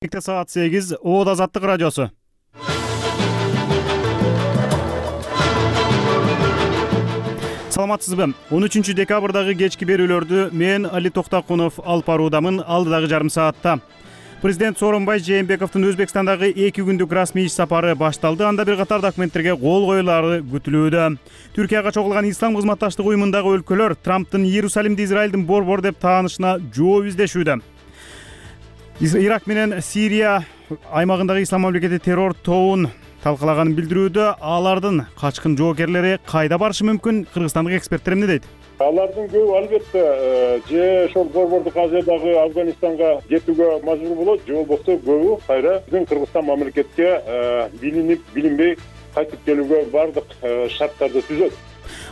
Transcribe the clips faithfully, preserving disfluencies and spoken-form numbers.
Саат сегиз Оот Азаттык радиосу. Саламатсызбы? он үчүнчү декабрдагы кечки берүүлөрдү мен Али Токтакунов алып баруудамын. Алдыдагы жарым саатта президент Сооронбай Жээнбековдун Өзбекстандагы эки күндүк расмий иш сапары башталды. Анда бир катар документтерге кол коюлары күтүлүүдө. Түркияга чогулган Ислам кызматташтык уюмундагы өлкөлөр Трамптын Иерусалимди Израилдин борбор деп таанышына жооп издешүүдө. Ирак менен Сирия аймагындагы ислам мамлекети террор тобун талкалаганын билдирүүдө. Алардын качкын жоокерлери кайда барышы мүмкүн? Кыргызстандык эксперттер эмне дейт? Алардын көбү албетте же ошол борбордук Азиядагы Афганистанга кетүүгө мажбур болот, же болбосо көбү кайра биздин Кыргызстан мамлекетке билинип, билинбей кайтып келүүгө бардык шарттарды түзөт.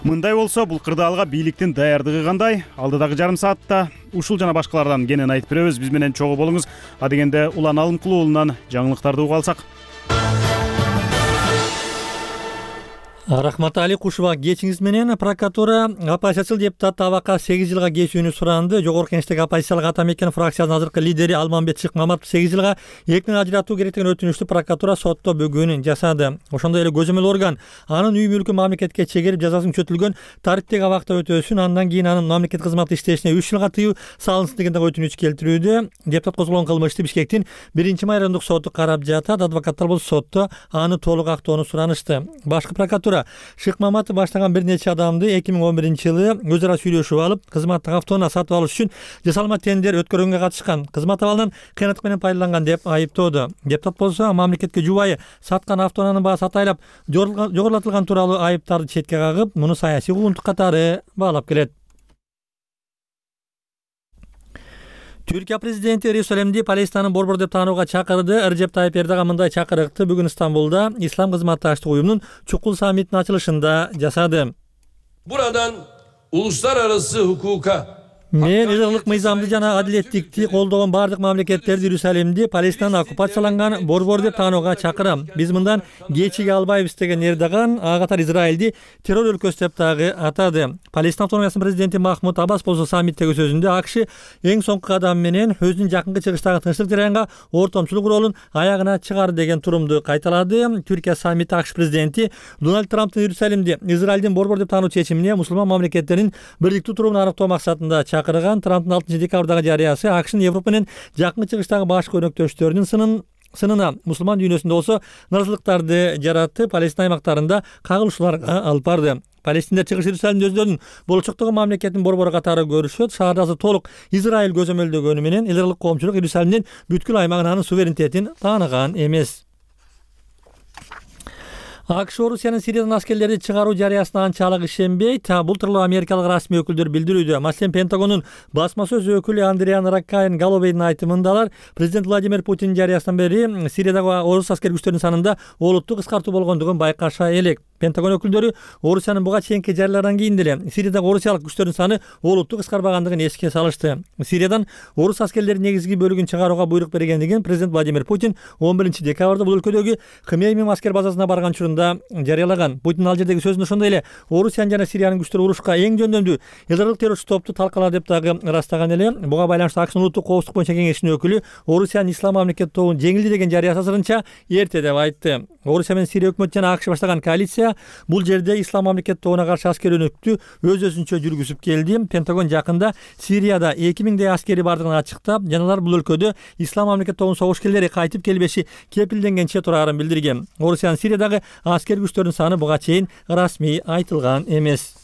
Мындай болсо, бул кырдаалга бийликтин даярдыгы кандай? Алдыдагы жарым саатта ушул жана башкалардан кенен айтып беребиз. Биз менен чогуу болуңуз. Адегенде Улан Алымкулуу уулунан жаңылыктарды угуп алсак. Рахмат Али Кушуба, кечиңиз менен прокуратура оппозициячыл депутат Табакка сегиз жылга кесүүнү суранды. Жогорку Кеңештеги оппозициялык атамекен фракциянын азыркы лидери Алмамбет Шыкмаматов сегиз жылга эркин ажыратуу керек деген өтүнүштү прокуратура сотто бүгүн жасады. Ошондой эле көзөмөл орган анын үй мүлкүн мамлекетке чегерип жазасын күчөтүлгөн тарыптык абакта өтөсүн, андан кийин анын мамлекет кызматта иштешине үч жылга тыюу салынсын деген өтүнүч келтирүүдө. Депутат козголгон кылмышты Бишкектин биринчи майрандык соту карап жатат. Адвокаттар болсо сотто аны толук актоону суранышты. Башкы прокуратура Шыкмаматов баштаган бир нече адамды эки миң он биринчи жылы өз ара сүйлөшүп алып, кызматтык автоунаа сатып алыш үчүн жасалма тендер өткөргөнгө катышкан. Кызмат абалынан кыянаттык менен пайдаланган деп айыптоодо. Депутат болсо мамлекетке жубайы саткан автоунаанын баасы атайлап жогорулатылган тууралуу айыптарды четке кагып, муну саясий куугунтук катары баалап келет. Түркия президенти Иерусалимди Палестинанын борбор деп таанууга чакырды. Режеп Тайып Эрдоган мындай чакырыкты бүгүн Стамбулда Ислам кызматташтык уюмунун чукул саммитинин ачылышында жасады. Buradan uluslararası hukuka Мен ыйык мыйзамды жана адилеттикти колдогон бардык мамлекеттерди Иерусалимди Палестинанын оккупацияланган борбор деп таанууга чакырам. Биз мындан кечиге албайбыз деген Эрдоган ага катар Израилди террор өлкөсү деп дагы атады. Палестина автономиясынын президенти Махмуд Аббас болсо саммиттеги сөзүндө АКШ эң соңку кадам менен өзүнүн жакынкы чыгыштагы тынчтык жараянга ортомчулук ролун аягына чыгарды деген турумду кайталады. Түркия саммити АКШ президенти Дональд Трамптын Иерусалимди Израилдин борбор деп таануу чечимине мусулман мамлекеттердин бирдиктүү турумун аныктоо максатында чакырган. Трамптын алтынчы декабрдагы жарыясы АКШнын Европа менен жакын чыгыштагы башкы өнөктөштөрүнүн сынын сынына мусулман дүйнөсүндө болсо наразылыктарды жаратып, Палестина аймактарында кагылышууларга алып барды. Палестиндер чыгыш Иерусалимди өздөрүнүн болочоктогу мамлекеттин борбору катары көрүшөт. Шаардасы толук Израиль көзөмөлдөгөнү менен эл аралык коомчулук Иерусалимдин бүткүл аймагын анын суверенитетин тааныган эмес. АКШ Орусиянын Сириядан аскерлерди чыгаруу жарыясына анчалык ишенбейт. Бул тууралуу америкалык расмий өкүлдөр билдирүүдө. Маселен, Пентагондун басма сөз өкүлү Андриан Раккайн Галловейдин айтымында алар президент Владимир Путин жарыясынан бери Сириядагы орус аскер күчтөрүнүн санында олуттуу кыскартуу болгондугун байкаша элек. Пентагон өкүлдөрү Орусиянын буга чейинки жарыялардан кийин деле Сириядагы орусиялык күчтөрдүн саны олуттуу кыскарбагандыгын эске салышты. Сириядан орус аскерлеринин негизги бөлүгүн чыгарууга буйрук бергендигин президент Владимир Путин он биринчи декабрда бул өлкөдөгү Хмеймим аскер базасына барган учурунда жарыялаган. Путин ал жердеги сөзүндө ошондой эле Орусиянын жана Сириянын күчтөрү урушка эң жөндөмдүү эл аралык террорчу топту талкалады деп дагы ырастаган эле. Буга байланыштуу АКШнын улуттук коопсуздук боюнча кеңешинин өкүлү Орусиянын ислам мамлекети тобун жеңилди деген жарыясы азырынча эрте деп айтты. Орусия менен Сирия өкмөтү жана АКШ баштаган коалиция бул жерде ислам мамлекети тобуна каршы аскер өнөктү өз өзүнчө жүргүзүп келди. Пентагон жакында Сирияда эки миңдей аскери бардыгын ачыктап, жана алар бул өлкөдө ислам мамлекети тобунун согушкерлери кайтып келбеши кепилденгенче турарын билдирген. Орусиянын Сириядагы аскер күчтөрүнүн саны буга чейин расмий айтылган эмес.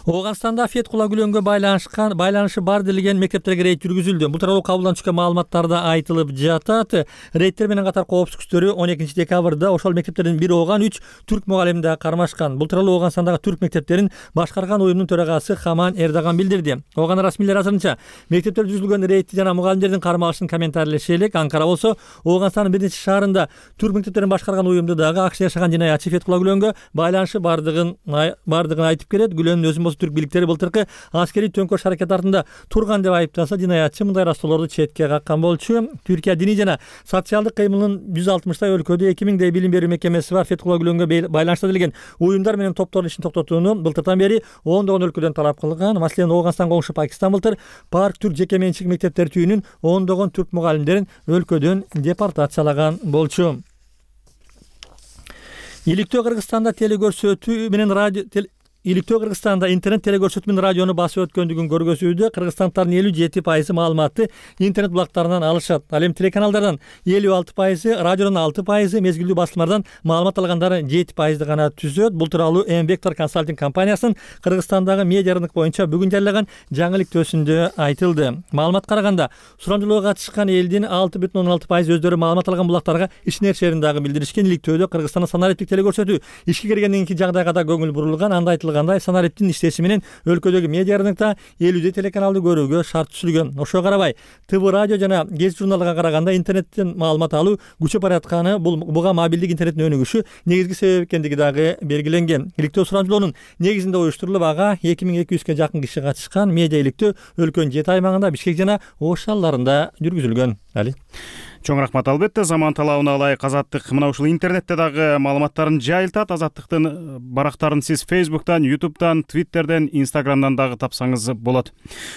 Ооганстанда Феткула Гүлөнгө байланышкан байланышы бар делген мектептерге рейд жүргүзүлдү. Бул тууралуу кабылдан түшкөн маалыматтарда айтылып жатат. Рейдтер менен катар коопсуздук күчтөрү он экинчи декабрда ошол мектептердин бири ооган үч түрк мугалимин да кармашкан. Бул тууралуу Ооганстандагы түрк мектептерин башкарган уюмдун төрагасы Хаман Эрдоган билдирди. Ооган расмийлер азырынча мектептерде жүргүзүлгөн рейдти жана мугалимдердин кармалышын комментарийлеши элек. Анкара болсо Ооганстандын бир нече шаарында түрк мектептерин башкарган уюмду дагы АКШ жашаган жинаятчы Феткула Гүлөнгө байланышы бардыгын бардыгын айтып келет. Гүлөнгө көргөн. Өзүн болсо түрк бийликтери былтыркы аскерий төңкөрүш аракети артында турган деп айыптаса, жинаятчы мындай ыраазолорду четке каккан болчу. Түркия диний жана социалдык кыймылынын жүз алтымыштай өлкөдө эки миңдей билим берүү мекемеси бар. Фетхулла Гүлөнгө байланыштуу делген уюмдар менен топтордун ишин токтотууну былтырдан бери ондогон өлкөдөн талап кылган. Маселен, Ооганстан коңшу Пакистан былтыр парк түрк жеке менчик мектептер түйүнүн ондогон түрк мугалимдерин өлкөдөн депортациялаган болчу. Иликтөө Кыргызстанда телекөрсөтүү менен радио Иликтөө Кыргызстанда интернет телекөрсөтүү менен радиону басып өткөндүгүн көргөзүүдө кыргызстандардын элүү жети пайызы маалыматты интернет булактарынан алышат. Ал эми телеканалдардан элүү алты пайызы, радиодон алты пайызы, мезгилдүү басылмалардан маалымат алгандары жети пайызды гана түзөт. Бул тууралуу М-Вектор консалтинг компаниясынын Кыргызстандагы медиа рынок боюнча бүгүн жарыялаган жаңы иликтөөсүндө айтылды. Маалыматка караганда, сурамжылоого катышкан элдин алты бүтүн ондон алты пайызы өздөрү маалымат алган булактарга ишенерчерин дагы билдиришкен. Иликтөөдө Кыргызстанда санариптик телекөрсөтүү ишке киргенден кийинки жагдайга да көңүл бурулган. Анда айтылган санариптин иштеши менен өлкөдөгү медиа рынокто элүүдөй телеканалды көрүүгө шарт түзүлгөн. Ошого карабай, ТВ радио жана гезит журналга караганда интернеттен маалымат алуу күчөп баратканы, бул буга мобилдик интернеттин өнүгүшү негизги себеп экендиги дагы белгиленген. Иликтөө сурамжылоонун негизинде уюштурулуп, ага эки миң эки жүзгө жакын киши катышкан. Медиа иликтөө өлкөнүн жети аймагында, Бишкек жана Ош шаарларында жүргүзүлгөн. Али Чоң рахмат. Албетте, заман талабына ылайык Азаттык мына ушул интернетте дагы маалыматтарын жайылтат. Азаттыктын барактарын сиз Фейсбуктан, Ютубтан, Твиттерден, Инстаграмдан дагы тапсаңыз болот.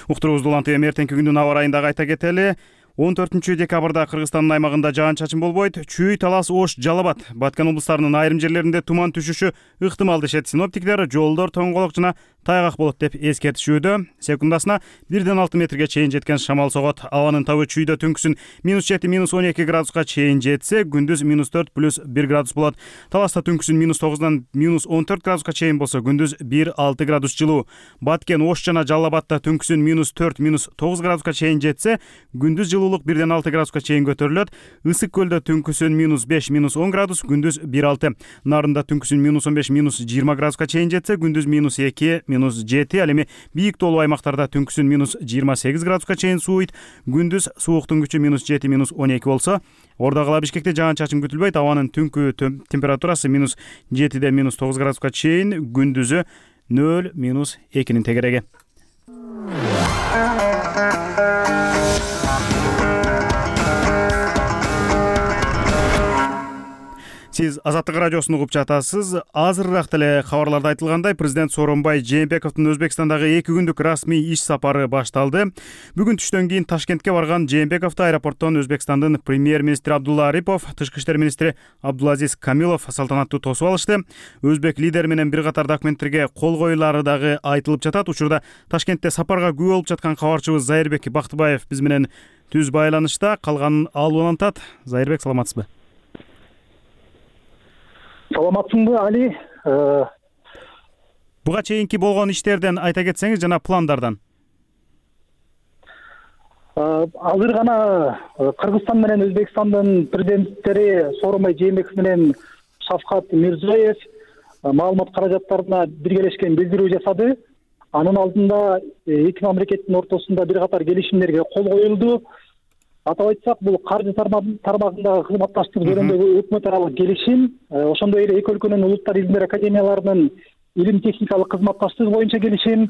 Уктуруубузду улантып эми эртеңки күндүн аба ырайын дагы айта кетели. он төртүнчү декабрда Кыргызстандын аймагында жаан-чачын болбойт. Чүй, Талас, Ош, Жалал Абад, Баткен облустарынын айрым жерлеринде туман түшүшү ыктымал дешет синоптиктер. Жолдор тоңголок жана тайгак болот деп эскертишүүдө. Секундасына бирден алты метрге чейин жеткен шамал согот. Абанын табы чүйдө түнкүсүн минус жети, минус он эки градуска чейин жетсе, күндүз минус төрт плюс бир градус болот. Таласта түнкүсүн минус тогуздан минус он төрт градуска чейин болсо, күндүз бир алты градус жылуу. Баткен, Ош жана Жалал Абадта түнкүсүн минус төрт, минус тогуз градуска чейин жетсе, күндүз жылуулук бирден алты градуска чейин көтөрүлөт. Ысык көлдө түнкүсүн минус беш, минус он градус, күндүз бир алты. Нарында түнкүсүн минус он беш, минус жыйырма градуска чейин жетсе, күндүз минус эки, минус жети. Ал эми бийик тоолуу аймактарда түнкүсүн минус жыйырма сегиз градуска чейин сууйт. Күндүз сууктун күчү минус жети, минус он эки болсо, Ордо кала Бишкекте жаан-чачын күтүлбөйт. Абанын түнкү температурасы минус жетиден минус тогуз градуска чейин, күндүзү нөл, минус экинин тегереги. Сиз Азаттык радиосуну угуп жатасыз. Азырыраак деле кабарларда айтылгандай, президент Сооронбай Жээнбековдун Өзбекстандагы эки күндүк расмий иш сапары башталды. Бүгүн түштөн кийин Ташкентке барган Жээнбековду аэропорттон Өзбекстандын премьер-министри Абдулла Арипов, тышкы иштер министри Абдулазиз Камилов салтанаттуу тосуп алышты. Өзбек лидери менен бир катар документтерге кол коюлары дагы айтылып жатат. Учурда Ташкентте сапарга күбө болуп жаткан кабарчыбыз Зайырбек Бактыбаев биз менен түз байланышта. Калганын алып улантат. Зайырбек, саламатсызбы? Саламатсыңбы, Али? Буга чейинки болгон иштерден айта кетсеңиз жана пландардан. Азыр гана Кыргызстан менен Өзбекстандын президенттери Сооронбай Жээнбеков менен Шавкат Мирзиёев маалымат каражаттарына биргелешкен билдирүү жасады. Анын алдында эки мамлекеттин ортосунда бир катар келишимдерге кол коюлду. Атап айтсак, бул каржы тармагындагы кызматташтык жөнүндөгү өкмөт аралык келишим, ошондой эле эки өлкөнүн улуттар илимдер академияларынын илим техникалык кызматташтыгы боюнча келишим,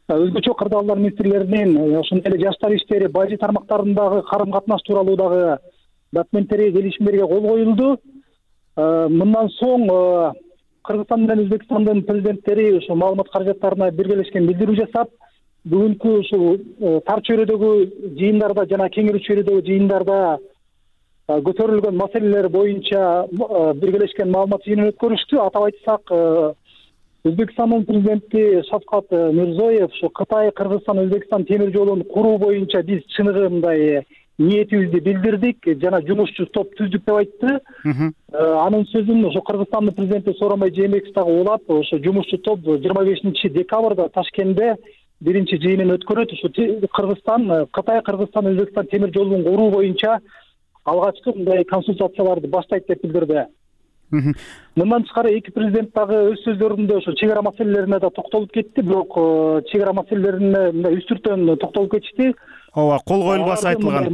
өзгөчө кырдаалдар министрлеринин ошондой эле жаштар иштери, бажы тармактарындагы карым катнаш тууралуу дагы документтерге, келишимдерге кол коюлду. Мындан соң Кыргызстан менен Өзбекстандын президенттери ошо маалымат каражаттарына биргелешкен билдирүү жасап, бүгүнкү ушул тар чөйрөдөгү жыйындарда жана кеңири чөйрөдөгү жыйындарда көтөрүлгөн маселелер боюнча биргелешкен маалымат жыйынын өткөрүштү. Атап айтсак, Өзбекстандын президенти Шавкат Мирзиёев ушу Кытай, Кыргызстан, Өзбекстан темир жолун куруу боюнча биз чыныгы мындай ниетибизди билдирдик жана жумушчу топ түздүк деп айтты. Анын сөзүн ошо Кыргызстандын президенти Сооронбай Жээнбеков дагы улап, ошо жумушчу топ жыйырма бешинчи декабрда Ташкентте биринчи жыйынын өткөрөт. Ушу Кыргызстан, Кытай, Кыргызстан, Өзбекстан темир жолун куруу боюнча алгачкы мындай консультацияларды баштайт деп билдирди. Мындан тышкары эки президент дагы өз сөздөрүндө ошо чек ара маселелерине да токтолуп кетти, бирок чек ара маселелерине мындай үстүртөн токтолуп кетишти. Ооба, кол коюлбасы айтылган.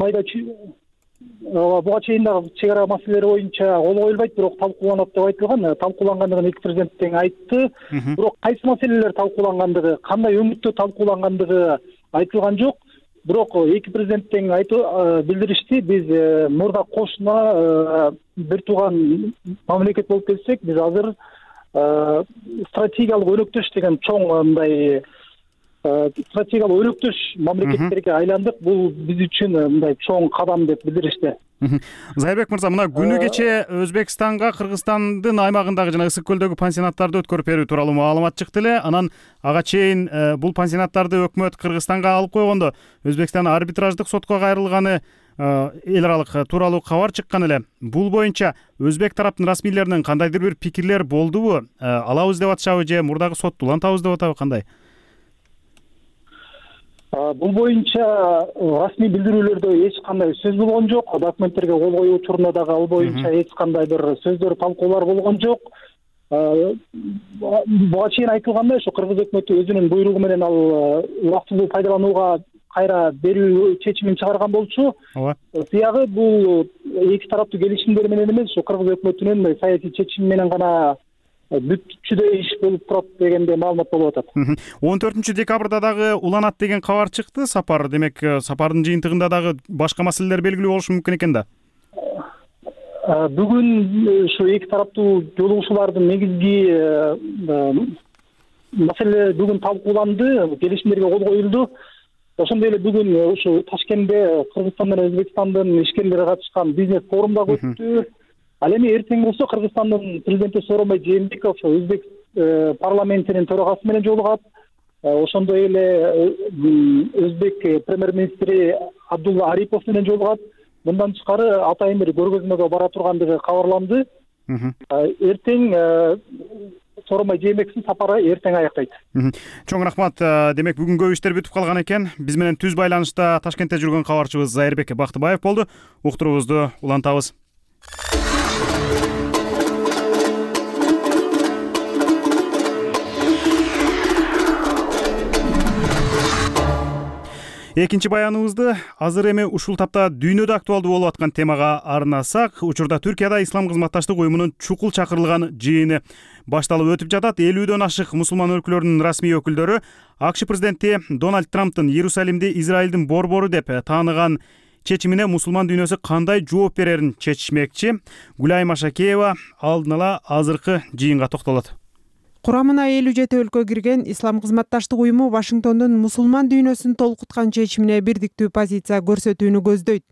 буга чейин дагы чек ара маселелери боюнча кол коюлбайт, бирок талкууланат деп айтылган. Талкуулангандыгын эки президент тең айтты. Бирок кайсы маселелер талкуулангандыгы, кандай өңүттө талкуулангандыгы айтылган жок. Бирок эки президент тең айтып билдиришти. Биз мурда кошуна бир тууган мамлекет болуп келсек, биз азыр стратегиялык өнөктөш деген чоң мындай стратегиялык өнөктөш мамлекеттерге айландык. Бул биз үчүн мындай чоң кадам деп билдиришти. Зайырбек мырза, мына күнү кече Өзбекстанга Кыргызстандын аймагындагы жана Ысык көлдөгү пансионаттарды өткөрүп берүү тууралуу маалымат чыкты эле. Анан ага чейин бул пансионаттарды өкмөт Кыргызстанга алып койгондо Өзбекстан арбитраждык сотко кайрылганы эл аралык тууралуу кабар чыккан эле. Бул боюнча өзбек тараптын расмийлеринин кандайдыр бир пикирлер болдубу? Алабыз деп атышабы же мурдагы сотtu улантабыз деп атабы, кандай? Бул боюнча расмий билдирүүлөрдө эч кандай сөз болгон жок. Документтерге кол коюу учурунда дагы ал боюнча эч кандай бир сөздөр, талкуулар болгон жок. Буга чейин айтылгандай, ушу кыргыз өкмөтү өзүнүн буйругу менен ал убактылуу пайдаланууга кайра берүү чечимин чыгарган болчу. Биягы бул эки тараптуу келишимдер менен эмес, ушу кыргыз өкмөтүнүн саясий чечими менен гана бүткүчүдөй иш болуп турат дегенде маалымат болуп атат. он төртүнчү декабрда дагы уланат деген кабар чыкты. Сапар, демек сапардын жыйынтыгында дагы башка маселелер белгилүү болушу мүмкүн экен да. Бүгүн ушу эки тараптуу жолугушуулардын негизги маселе бүгүн талкууланды, келишимдерге кол коюлду. Ошондой эле бүгүн ушу Ташкентте Кыргызстан менен Өзбекстандын ишкерлери катышкан бизнес форум дагы өттү. Ал эми эртең болсо Кыргызстандын президенти Сооронбай Жээнбеков Өзбек парламентинин төрагасы менен жолугат. Ошондой эле Өзбек премьер-министри Абдулла Арипов менен жолугат. Мындан тышкары атайын бир көргөзмөгө бара тургандыгы кабарланды. Эртең Сооронбай Жээнбековдун сапары эртең аяктайт. Чоң рахмат. Демек бүгүнгө иштер бүтүп калган экен. Биз менен түз байланышта Ташкентте жүргөн кабарчыбыз Зайырбек Бактыбаев болду. Уктуруубузду улантабыз. Экинчи баяныбызды азыр эми ушул тапта дүйнөдө актуалдуу болуп аткан темага арнасак, учурда Түркияда Ислам кызматташтык уюмунун чукул чакырылган жыйыны башталып өтүп жатат. элүүдөн ашык мусулман өлкөлөрүнүн расмий өкүлдөрү АКШ президенти Дональд Трамптын Иерусалимди Израилдин борбору деп тааныган чечимине мусулман дүйнөсү кандай жооп берерин чечишмекчи. Гүлай Машакеева алдын ала азыркы жыйынга токтолот. Курамына элүү жети өлкө кирген Ислам кызматташтык уюму Вашингтондун мусулман дүйнөсүн толкуткан чечимине бирдиктүү позиция көрсөтүүнү көздөйт.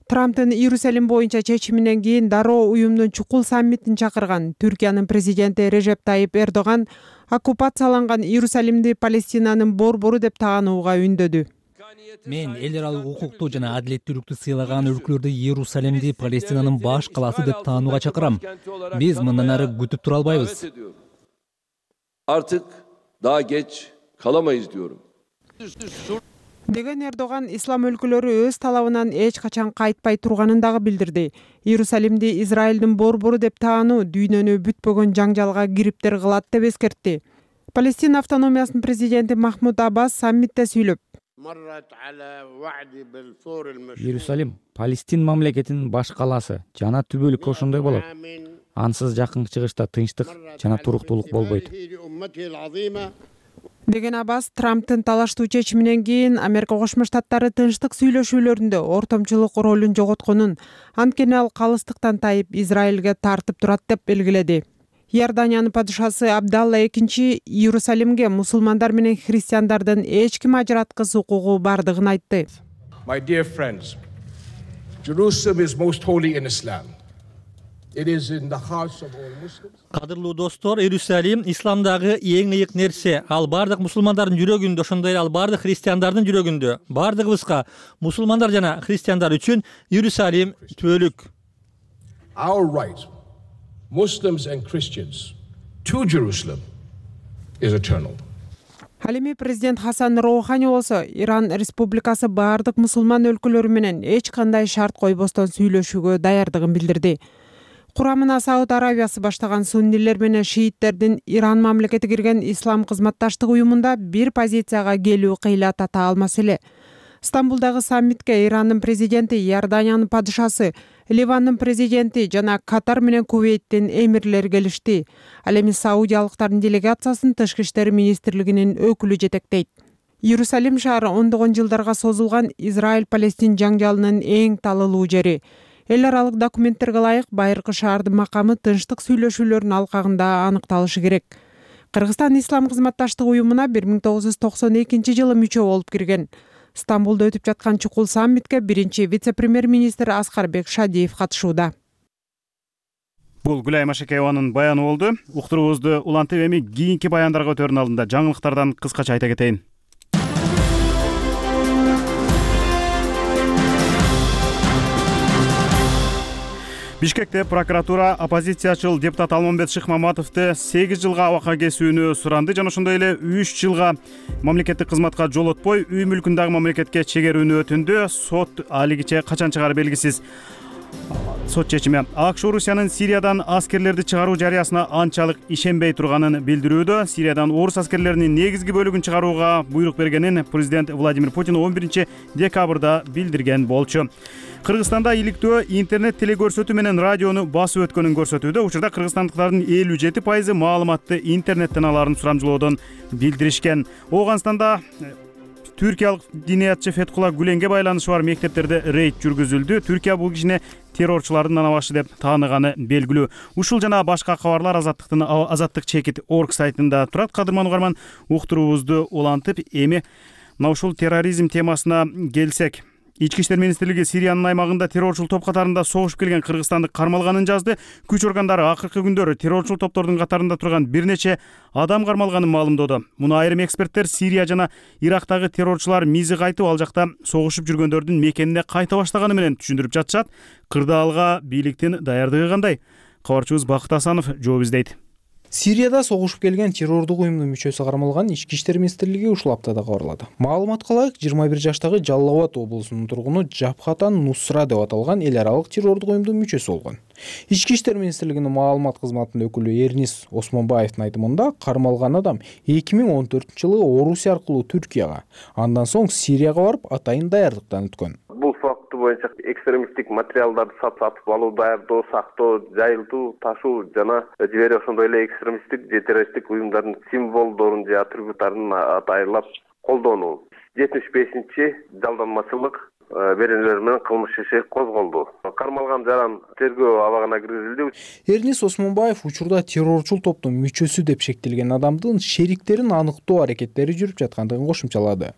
Трамптын Иерусалим боюнча чечиминен кийин дароо уюмдун чукул саммитин чакырган Түркиянын президенти Режеп Тайип Эрдоган оккупацияланган Иерусалимди Палестинанын борбору деп таанууга үндөдү. Мен эл аралык укукту жана адилеттүүлүктү сыйлаган өлкөлөрдө Иерусалимди Палестинанын баш калаасы деп таанууга чакырам. Биз мындан ары күтүп тура албайбыз. Artık daha geç kalamayız diyorum. Деген Эрдоган ислам өлкөлөрү өз талабынан эч качан кайтпай турганын дагы билдирди. Иерусалимди Израилдин борбору деп таануу дүйнөнү бүтпөгөн жаңжалга кириптер кылат деп эскертти. Палестина автономиясынын президенти Махмуд Аббас саммитте сүйлөп, Иерусалим Палестин мамлекетинин баш калаасы жана түбөлүккө ошондой болот. Ансыз жакын чыгышта тынчтык жана туруктуулук болбойт. Деген Аббас Трамптын талаштуу чечиминен кийин Америка Кошмо Штаттары тынчтык сүйлөшүүлөрүндө ортомчулук ролун жоготконун, анткени ал калыстыктан тайып Израилге тартып турат деп белгиледи. Иорданиянын падышасы Абдалла экинчи Иерусалимге мусулмандар менен христиандардын эч ким ажыраткыс укугу бардыгын айтты. My dear friends, Jerusalem is most holy in Islam. It is in the hearts of all Muslims. Кадырлуу достор, Иерусалим исламдагы эң ыйык нерсе. Ал бардык мусулмандардын жүрөгүндө, ошондой эле ал бардык христиандардын жүрөгүндө. Бардыгыбызга мусулмандар жана христиандар үчүн Иерусалим түбөлүк. Our right, Muslims and Christians, to Jerusalem is eternal. Ал эми президент Хасан Роухани болсо Иран республикасы бардык мусулман өлкөлөрү менен эч кандай шарт койбостон сүйлөшүүгө даярдыгын билдирди. Курамына Сауд Арабиясы баштаган суннилер менен шииттердин Иран мамлекети кирген Ислам кызматташтык уюмунда бир позицияга келүү кыйла тата алмас эле. Стамбулдагы саммитке Ирандын президенти, Иорданиянын падышасы, Ливандын президенти жана Катар менен Кувейттин эмирлери келишти. Ал эми саудиялыктардын делегациясын Тышкы иштер министрлигинин өкүлү жетектейт. Иерусалим шаары ондогон жылдарга созулган Израиль-Палестин жаңжалынын эң талылуу жери. Эл аралык документтерге ылайык байыркы шаардын макамы тынчтык сүйлөшүүлөрдүн алкагында аныкталышы керек. Кыргызстан Ислам кызматташтык уюмуна бир миң тогуз жүз токсон экинчи жылы мүчө болуп кирген. Стамбулда өтүп жаткан чукул саммитке биринчи вице-премьер-министр Аскарбек Шадиев катышууда. Бул Гүлай Машекееванын баяны болду. Уктуруубузду улантып эми кийинки баяндарга өтөрүн алдында жаңылыктардан кыскача айта кетейин. Бишкекте прокуратура оппозициячыл депутат Алмамбет Шыкмаматовду сегиз жылга абакка кесүүнү суранды жана ошондой эле үч жылга мамлекеттик кызматка жолотпой үй мүлкүн дагы мамлекетке чегерүүнү өтүндү. Сот алигиче качан чыгары белгисиз. Сот чечими АКШ Орусиянын Сириядан аскерлерди чыгаруу жарыясына анчалык ишенбей турганын билдирүүдө. Сириядан орус аскерлеринин негизги бөлүгүн чыгарууга буйрук бергенин президент Владимир Путин он биринчи декабрда билдирген болчу. Кыргызстанда иликтөө интернет телекөрсөтүү менен радиону басып өткөнүн көрсөтүүдө. Учурда кыргызстандыктардын элүү жети пайызы маалыматты интернеттен алаарын сурамжылоодон билдиришкен. Ооганстанда түркиялык диниятчы Феткула Гүленге байланышы бар мектептерде рейд жүргүзүлдү. Түркия бул кишини террорчулардын анабашы деп тааныганы белгилүү. Ушул жана башка кабарлар азаттыктын азаттык чекит орг сайтында турат. Кадырман угарман, уктуруубузду улантып эми мына ушул терроризм темасына келсек. Ички иштер министрлиги Сириянын аймагында террорчул топ катарында согушуп келген кыргызстанды кармалганын жазды. Күч органдары акыркы күндөрү террорчул топтордун катарында турган бир нече адам кармалганын маалымдоодо. Муну айрым эксперттер Сирия жана Ирактагы террорчулар мизи кайтып ал жакта согушуп жүргөндөрдүн мекенине кайта баштаганы менен түшүндүрүп жатышат. Кырдаалга бийликтин даярдыгы кандай? Кабарчыбыз Бакыт Асанов жооп издейт. Сирияда согушуп келген террордук уюмдун мүчөсү кармалган Ички иштер министрлиги ушул аптада кабарлады. Маалыматка ылайык, жыйырма бир жаштагы Жалал Абад облусунун тургуну Жабхатан Нусра деп аталган эл аралык террордук уюмдун мүчөсү болгон. Ички иштер министрлигинин маалымат кызматынын өкүлү Эрнис Осмонбаевдин айтымында, кармалган адам эки миң он төртүнчү жылы Орусия аркылуу Түркияга, андан соң Сирияга барып атайын даярдыктан өткөн. Бул факты боюнча экстремисттик материалдарды сатып алуу, даярдоо, сактоо, жайылтуу, ташуу жана жибери ошондой эле экстремисттик же террористтик уюмдардын символдорун же атрибуттарын атайылап колдонуу. жетимиш бешинчи жалданмачылык беренелер менен кылмыш иши козголду. Кармалган жаран тергөө абагына киргизилди. Эрнис Осмонбаев учурда террорчул топтун мүчөсү деп шектелген адамдын шериктерин аныктоо аракеттери жүрүп жаткандыгын кошумчалады.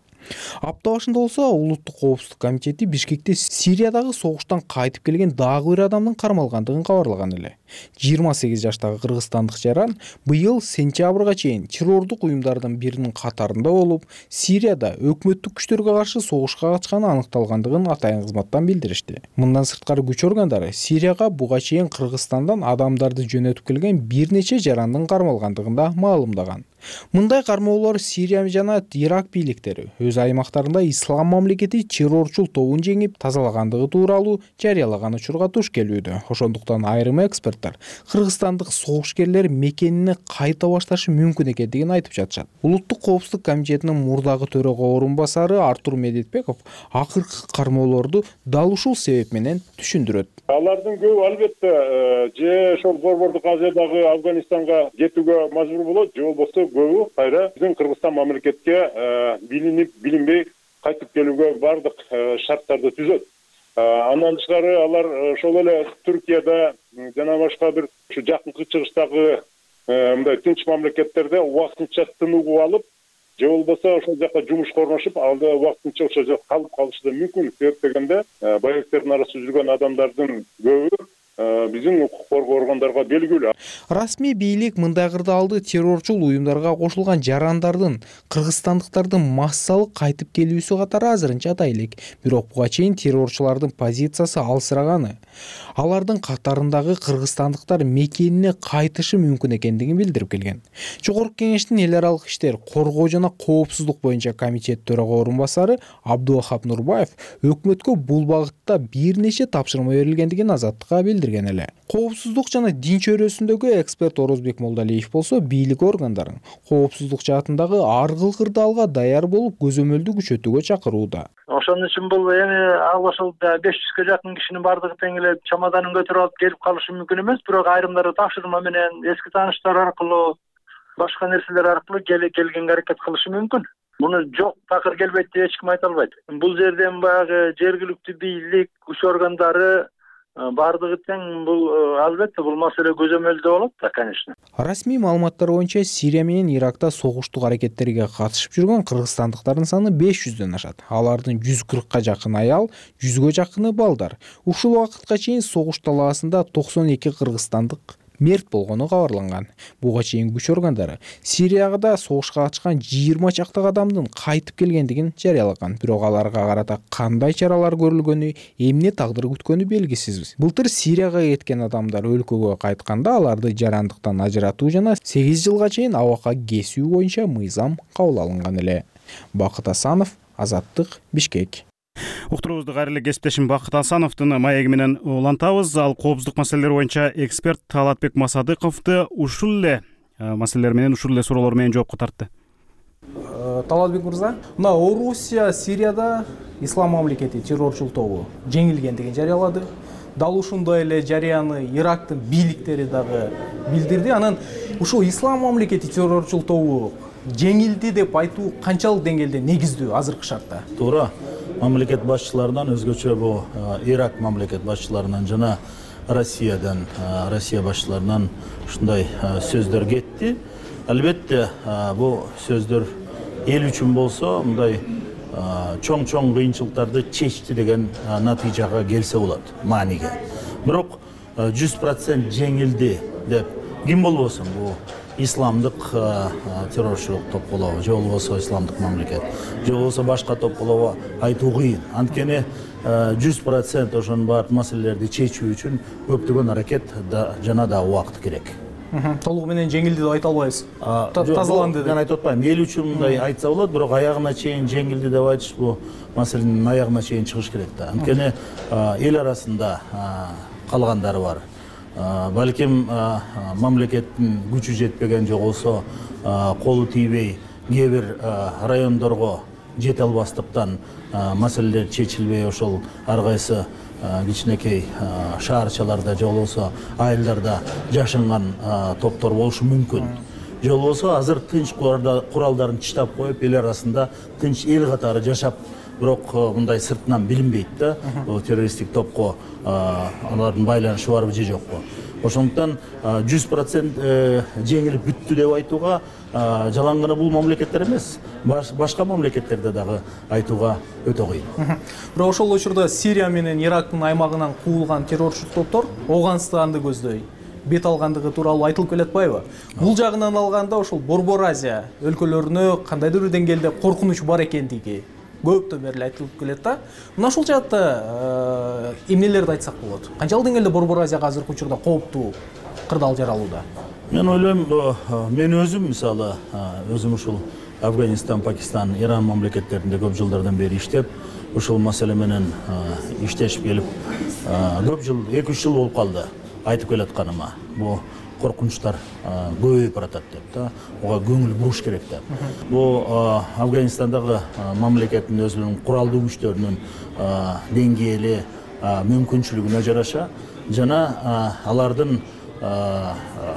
Апта башында болсо Улуттук коопсуздук комитети Бишкекте Сириядагы согуштан кайтып келген дагы бир адамдын кармалгандыгын кабарлаган эле. жыйырма сегиз жаштагы кыргызстандык жаран быйыл сентябрга чейин террордук уюмдардын биринин катарында болуп, Сирияда өкмөттүк күчтөргө каршы согушка катышканы аныкталгандыгын атайын кызматтан билдиришти. Мындан сырткары күч органдары Сирияга буга чейин Кыргызстандан адамдарды жөнөтүп келген бир нече жарандын кармалгандыгын да маалымдаган. Мындай кармоолор Сирия жана Ирак бийликтери өз аймактарында ислам мамлекети террорчул тобун жеңип тазалагандыгы тууралуу жарыялаган учурга туш келүүдө. Ошондуктан айрым эксперттер кыргызстандык согушкерлер мекенине кайта башташы мүмкүн экендигин айтып жатышат. Улуттук коопсуздук комитетинин мурдагы төрага орун басары Артур Медетбеков акыркы кармоолорду дал ушул себеп менен түшүндүрөт. Алардын көбү албетте же ошол борбордук Азиядагы Афганистанга кетүүгө мажбур болот, же болбосо көбү кайра биздин Кыргызстан мамлекетке билинип билинбей кайтып келүүгө бардык шарттарды түзөт. Андан тышкары алар ошол эле Түркияда жана башка бир ушу жакынкы чыгыштагы мындай тынч мамлекеттерде убактынча тыныгып алып, же болбосо ошол жака жумушка орношуп, алда убактынча ошол жакта калып калышы да мүмкүн. Себеп дегенде боевиктердин арасында жүргөн адамдардын көбү биздин укук коргоо органдарга белгилүү. Расмий бийлик мындай кырдаалды террорчул уюмдарга кошулган жарандардын кыргызстандыктардын массалык кайтып келүүсү катары азырынча атай элек. Бирок буга чейин террорчулардын позициясы алсыраганы, алардын катарындагы кыргызстандыктар мекенине кайтышы мүмкүн экендигин билдирип келген. Жогорку кеңештин эл аралык иштер, коргоо жана коопсуздук боюнча комитет төрага орун басары Абдулвахап Нурбаев өкмөткө бул багытта бир нече тапшырма берилгендигин азаттыкка билдирди. билдирген эле. Коопсуздук жана дин чөйрөсүндөгү эксперт Орозбек Молдалиев болсо бийлик органдарын коопсуздук жаатындагы ар кыл кырдаалга даяр болуп көзөмөлдү күчөтүүгө чакырууда. Ошон үчүн бул эми ал ошол беш жүзгө жакын кишинин бардыгы тең эле чамаданын көтөрүп алып келип калышы мүмкүн эмес, бирок айрымдары тапшырма менен, эски тааныштар аркылуу, башка нерселер аркылуу келгенге аракет кылышы мүмкүн. Муну жок такыр келбейт деп эч ким айта албайт. Бул жерден баягы жергиликтүү бийлик, күч органдары бардыгы тең бул албетте бул маселе көзөмөлдө болот да, конечно. Расмий маалыматтар боюнча Сирия менен Иракта согуштук аракеттерге катышып жүргөн кыргызстандыктардын саны беш жүздөн ашат. Алардын жүз кыркка жакын аял, жүзгө жакыны балдар. Ушул убакытка чейин согуш талаасында токсон эки кыргызстандык мерт болгону кабарланган. Буга чейин күч органдары Сирияда согушка катышкан жыйырма чактагы адамдын кайтып келгендигин жарыялаган. Бирок аларга карата кандай чаралар көрүлгөнү, эмне тагдыр күткөнү белгисиз. Былтыр Сирияга кеткен адамдар өлкөгө кайтканда аларды жарандыктан ажыратуу жана сегиз жылга чейин абакка кесүү боюнча мыйзам кабыл алынган эле. Бакыт Асанов, Азаттык, Бишкек. Уктуруубузду кайрылуу кесиптешим Бакыт Асановдун маеги менен улантабыз. Ал коопсуздук маселелери боюнча эксперт Талатбек Масадыковду ушул эле маселелер менен, ушул эле суроолор менен жоопко тартты. Талатбек мырза, мына Орусия Сирияда ислам мамлекети террорчул тобу жеңилгендигин жарыялады. Дал ушундай эле жарыяны Ирактын бийликтери дагы билдирди. Анан ушул ислам мамлекети террорчул тобу жеңилди деп айтуу канчалык деңгээлде негиздүү азыркы шартта? Туура. Мамлекет башчыларынан өзгөчө бул Ирак мамлекет башчыларынан жана Россиядан, Россия башчыларынан ушундай сөздөр кетти. Албетте, бул сөздөр эл үчүн болсо, мындай чоң-чоң кыйынчылыктарды чечти деген натыйжага келсе болот, мааниге. Бирок жүз процент жеңилди деп ким болбосун бул исламдык террорчулук топ болобу, же болбосо исламдык мамлекет, же болбосо башка топ болобу айтуу кыйын. Анткени жүз процент ошонун баардык маселелерди чечүү үчүн көптөгөн аракет жана да убакыт керек. Толугу менен жеңилди деп айта албайбыз. Тазаланды деп. Мен айтып атпайм. Эл үчүн мындай айтса болот, бирок аягына чейин жеңилди деп айтыш бул маселенин аягына чейин чыгыш керек да. Анткени эл арасында калгандары бар. Балким мамлекеттин күчү жетпеген, же болбосо колу тийбей кээ бир райондорго жете албастыктан маселелер чечилбей ошол ар кайсы кичинекей шаарчаларда же болбосо айылдарда жашынган топтор болушу мүмкүн. Же болбосо азыр тынч куралдарын таштап коюп эл арасында тынч эл катары жашап, бирок мындай сыртынан билинбейт да, террористтик топко алардын байланышы барбы же жокпу. Ошондуктан жүз процент жеңилип бүттү деп айтууга жалаң гана бул мамлекеттер эмес, башка мамлекеттерде дагы айтууга өтө кыйын. Бирок ошол учурда Сирия менен Ирактын аймагынан куулган террорчу топтор Ооганстанды көздөй бет алгандыгы тууралуу айтылып келатпайбы? Бул жагынан алганда ошол Борбор Азия өлкөлөрүнө кандайдыр бир деңгээлде коркунуч бар экендиги көптөн бери айтылып келет да. Мына ушул жаатта эмнелерди айтсак болот? Канчалык деңгээлде Борбор Азияга азыркы учурда кооптуу кырдаал жаралууда? Мен ойлойм, мен өзүм мисалы, өзүм ушул Афганистан, Пакистан, Иран мамлекеттеринде көп жылдардан бери иштеп, ушул маселе менен иштешип келип, көп жыл, эки үч жыл болуп калды айтып келатканыма. Бу коркунучтар көбөйүп баратат деп да, ага көңүл буруш керек деп. Бу Афганистандагы мамлекеттин өзүнүн куралдуу күчтөрүнүн деңгээли, мүмкүнчүлүгүнө жараша жана алардын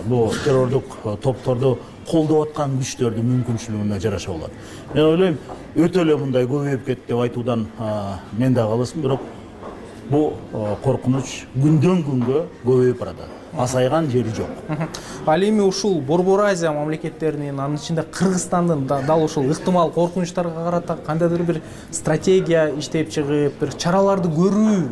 бу террордук топторду колдоп аткан күчтөрдүн мүмкүнчүлүгүнө жараша болот. Мен ойлойм, өтө эле мындай көбөйүп кетти деп айтуудан мен да калысым, бирок бу коркунуч күндөн күнгө көбөйүп баратат. Асайган жери жок. Ал эми ушул Борбор Азия мамлекеттеринин, анын ичинде Кыргызстандын дал ушул ыктымал коркунучтарга карата кандайдыр бир стратегия иштеп чыгып, бир чараларды көрүү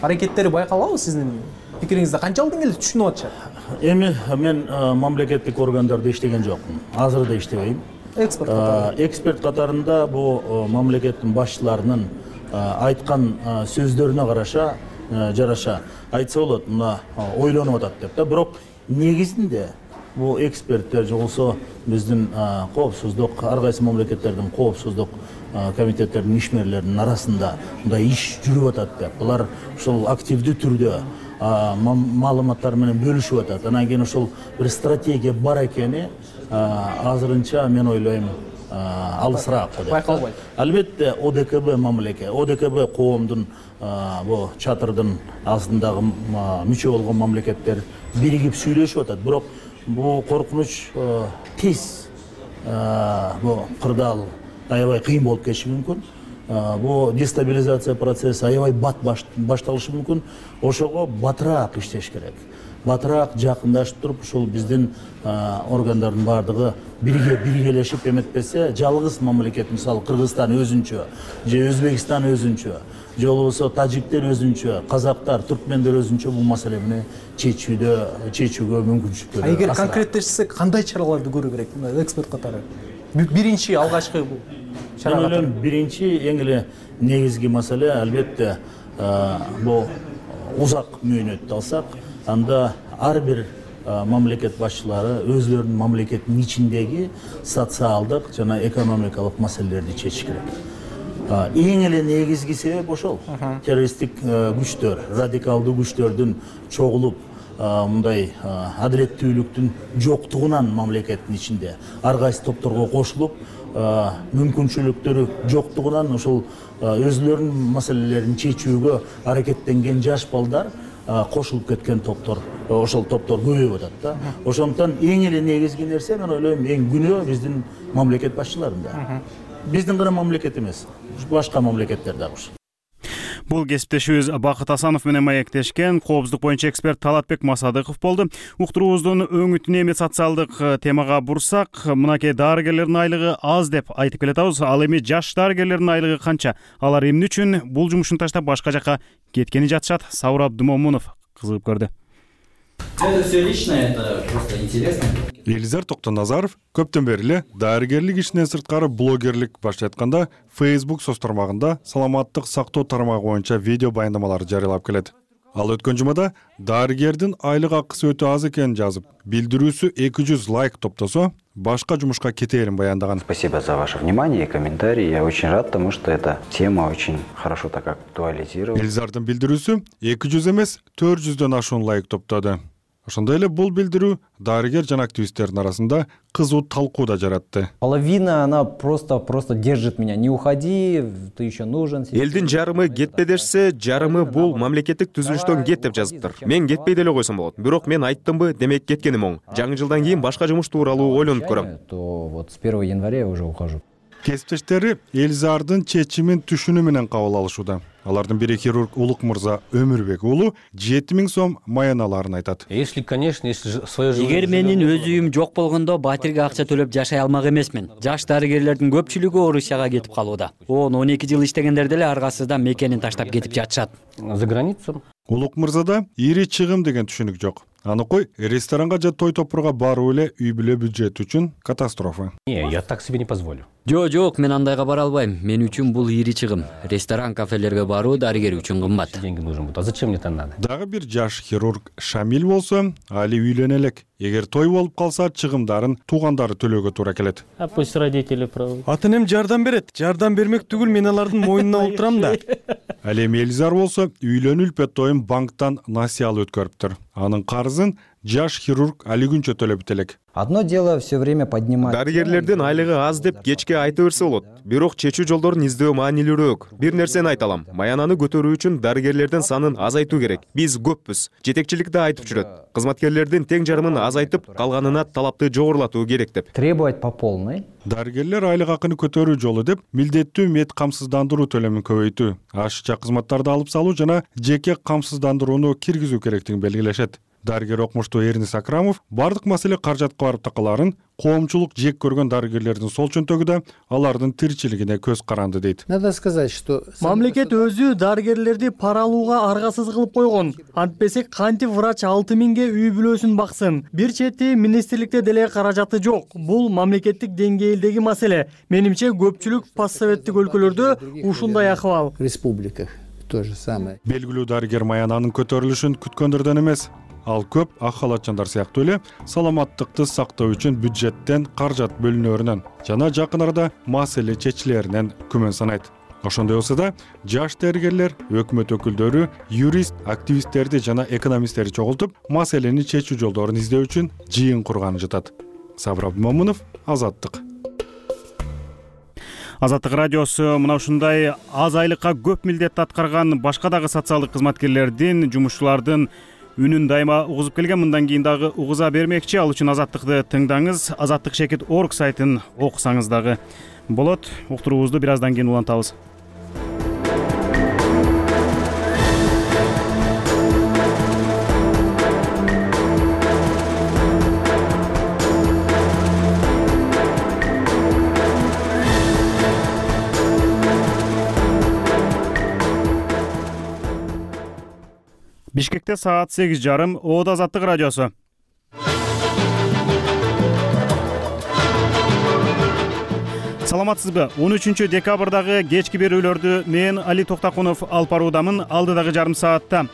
аракеттери байкалабы сиздин пикириңизде? Канчалык деңгээлде түшүнүп атышат? Эми мен мамлекеттик органдарда иштеген жокмун. Азыр да иштебейм. Эксперт катарында. Эксперт катарында бу мамлекеттин башчыларынын айткан сөздөрүнө караша жараша айтса болот, мына ойлонуп атат деп да. Бирок негизинде бу эксперттер же болсо биздин коопсуздук, ар кайсы мамлекеттердин коопсуздук комитеттеринин ишмерлеринин арасында мындай иш жүрүп атат деп. Булар ушул активдүү түрдө маалыматтар менен бөлүшүп атат. Анан кийин ошол бир стратегия бар экени азырынча мен ойлойм алысыраак деп байкалбайт. Албетте О Д К Б мамлекет, О Д К Б коомдун бу чатырдын астындагы мүчө болгон мамлекеттер биригип сүйлөшүп атат. Бирок бу коркунуч тез бу кырдаал аябай кыйын болуп кетиши мүмкүн. Бу дестабилизация процесси аябай бат башталышы мүмкүн. Ошого батыраак иштеш керек. Батыраак жакындашып туруп, ушул биздин органдардын баардыгы бирге биргелешип эметпесе, жалгыз мамлекет, мисалы Кыргызстан өзүнчө, же Өзбекстан өзүнчө, же болбосо тажиктер өзүнчө, казактар, түркмендер өзүнчө бул маселени чечүүдө чечүүгө мүмкүнчүлүктөр. Эгер конкреттешсек, кандай чараларды көрүү керек? Эксперт катары. Биринчи алгачкы бул чара. Мен ойлойм, биринчи эң эле негизги маселе албетте бул узак мөөнөттү алсак, анда ар бир мамлекет башчылары өзлөрүнүн мамлекеттин ичиндеги социалдык жана экономикалык маселелерди чечиш керек. Эң эле негизги себеп ошол. Террористтик күчтөр, радикалдуу күчтөрдүн чогулуп, мындай адилеттүүлүктүн жоктугунан мамлекеттин ичинде ар кайсы топторго кошулуп, мүмкүнчүлүктөрү жоктугунан ошол өзлөрүнүн маселелерин чечүүгө аракеттенген жаш балдар кошулуп кеткен топтор, ошол топтор көбөйүп атат да. Ошондуктан эң эле негизги нерсе, мен ойлойм, эң күнөө биздин мамлекет башчыларында. Биздин гана мамлекет эмес, башка мамлекеттер дагы. Бул кесиптешибиз Бакыт Асанов менен маектешкен коопсуздук боюнча эксперт Талатбек Масадыков болду. Уктуруубуздун өңүтүнө эми социалдык темага бурсак, мынакей дарыгерлердин айлыгы аз деп айтып келатабыз. Ал эми жаш дарыгерлердин айлыгы канча? Алар эмне үчүн бул жумушун таштап башка жака кеткени жатышат? Саур Абдумомунов кызыгып көрдү. Это все личное, это просто интересно. Элизар Токтоназаров көптөн бери эле дарыгерлик ишинен сырткары блогерлик баштап айтканда Facebook соц тармагында саламаттык сактоо тармагы боюнча видео баяндамаларды жарыялап келет. Ал өткөн жумада дарыгердин айлык акысы өтө аз экенин жазып, билдирүүсү эки жүз лайк топтосо, башка жумушка кетээрин баяндаган. Спасибо за ваше внимание и комментарии. Я очень рад, потому что эта тема очень хорошо так актуализировалась. Элизардын билдирүүсү эки жүз эмес, төрт жүздөн ашуун лайк топтоду. Ошондой эле бул билдирүү дарыгер жана активисттердин арасында кызуу талкуу да жаратты. Половина она просто просто держит меня. Не уходи, ты еще нужен. Элдин жарымы кетпе дешсе, жарымы бул мамлекеттик түзүлүштөн кет деп жазыптыр. Мен кетпей деле койсом болот. Бирок мен айттымбы, демек кеткеним оң. Жаңы жылдан кийин башка жумуш тууралуу ойлонуп көрөм. То вот с первого января я уже ухожу. Кесиптештери Элизардын чечимин түшүнүү менен кабыл алышууда. Алардын бири хирург Улук мырза Өмүрбек уулу жети миң сом маяналарын айтат. Если, конечно, если свое живое... Эгер менин өз үйүм жок болгондо батирге акча төлөп жашай алмак эмесмин. Жаш дарыгерлердин көпчүлүгү Орусияга кетип калууда. он он эки жыл иштегендер деле аргасызда мекенин таштап кетип жатышат. За границу. Улук мырзада ири чыгым деген түшүнүк жок. Аныкой ресторанга же той топурга баруу эле үй бүлө бюджети үчүн катастрофа. Не, я так себе не позволю. Жок, жок, мен андайга бара албайм. Мен үчүн бул ири чыгым. Ресторан, кафелерге баруу дарыгер үчүн кымбат. Деньги нужен будет. А зачем мне это надо? Дагы бир жаш хирург Шамил болсо, али үйлөнө элек. Эгер той болуп калса, чыгымдарын туугандары төлөөгө туура келет. А пусть родители правы. Ата энем жардам берет. Жардам бермек түгүл, мен алардын мойнуна отурам да. Ал эми Элизар болсо, үйлөнүү үлпөттойун банктан насыялы өткөрүптүр. Анын карызын жаш хирург али күнчө төлөп элек. Одно дело все время поднимать. Дарыгерлердин айлыгы аз деп кечке айта берсе болот. Бирок чечүү жолдорун издөө маанилүүрөөк. Бир нерсени айта алам. Маянаны көтөрүү үчүн дарыгерлердин санын азайтуу керек. Биз көппүз. Жетекчилик да айтып жүрөт. Кызматкерлердин тең жарымын азайтып, калганына талапты жогорулатуу керек деп. Требовать по полной. Дарыгерлер айлык акыны көтөрүү жолу деп милдеттүү мед камсыздандыруу төлөмүн көбөйтүү, ашыкча кызматтарды алып салуу жана жеке камсыздандырууну киргизүү керектигин белгилешет. Дарыгер окумуштуу Эрнис Акрамов бардык маселе каражатка барып такаларын, коомчулук жек көргөн дарыгерлердин сол чөнтөгү да алардын тиричилигине көз каранды дейт. Надо сказать, что мамлекет өзү дарыгерлерди пара алууга аргасыз кылып койгон. Антпесе кантип врач алты миңге үй бүлөсүн баксын. Бир чети министрликте деле каражаты жок. Бул мамлекеттик деңгээлдеги маселе. Менимче көпчүлүк постсоветтик өлкөлөрдө ушундай акыбал. Республиках то же самое. Белгилүү дарыгер маянанын көтөрүлүшүн күткөндөрдөн эмес. Ал көп ак халатчандар сыяктуу эле саламаттыкты сактоо үчүн бюджеттен каражат бөлүнөрүнөн жана жакын арада маселе чечилеринен күмөн санайт. ошондой болсо да жаш дарыгерлер, өкмөт өкүлдөрү, юрист, активисттерди жана экономисттерди чогултуп, маселени чечүү жолдорун издөө үчүн жыйын курганы жатат. Сабыр Абдымомунов, Азаттык. Азаттык радиосу мына ушундай аз айлыкка көп милдет аткарган башка дагы социалдык кызматкерлердин, жумушчулардын үнүн дайыма угузуп келген, мындан кийин дагы угуза бермекчи. Ал үчүн Азаттыкты тыңдаңыз, азаттык чекит орг сайтын окусаңыз дагы болот. Уктуруубузду бир аздан кийин улантабыз. Бишкекте саат сегиз жарым, Оодо Азаттык радиосу. Саламатсызбы? он үчүнчү декабрдагы кечки берүүлөрдү мен Али Токтакунов алып баруудамын. Алдыдагы жарым саатта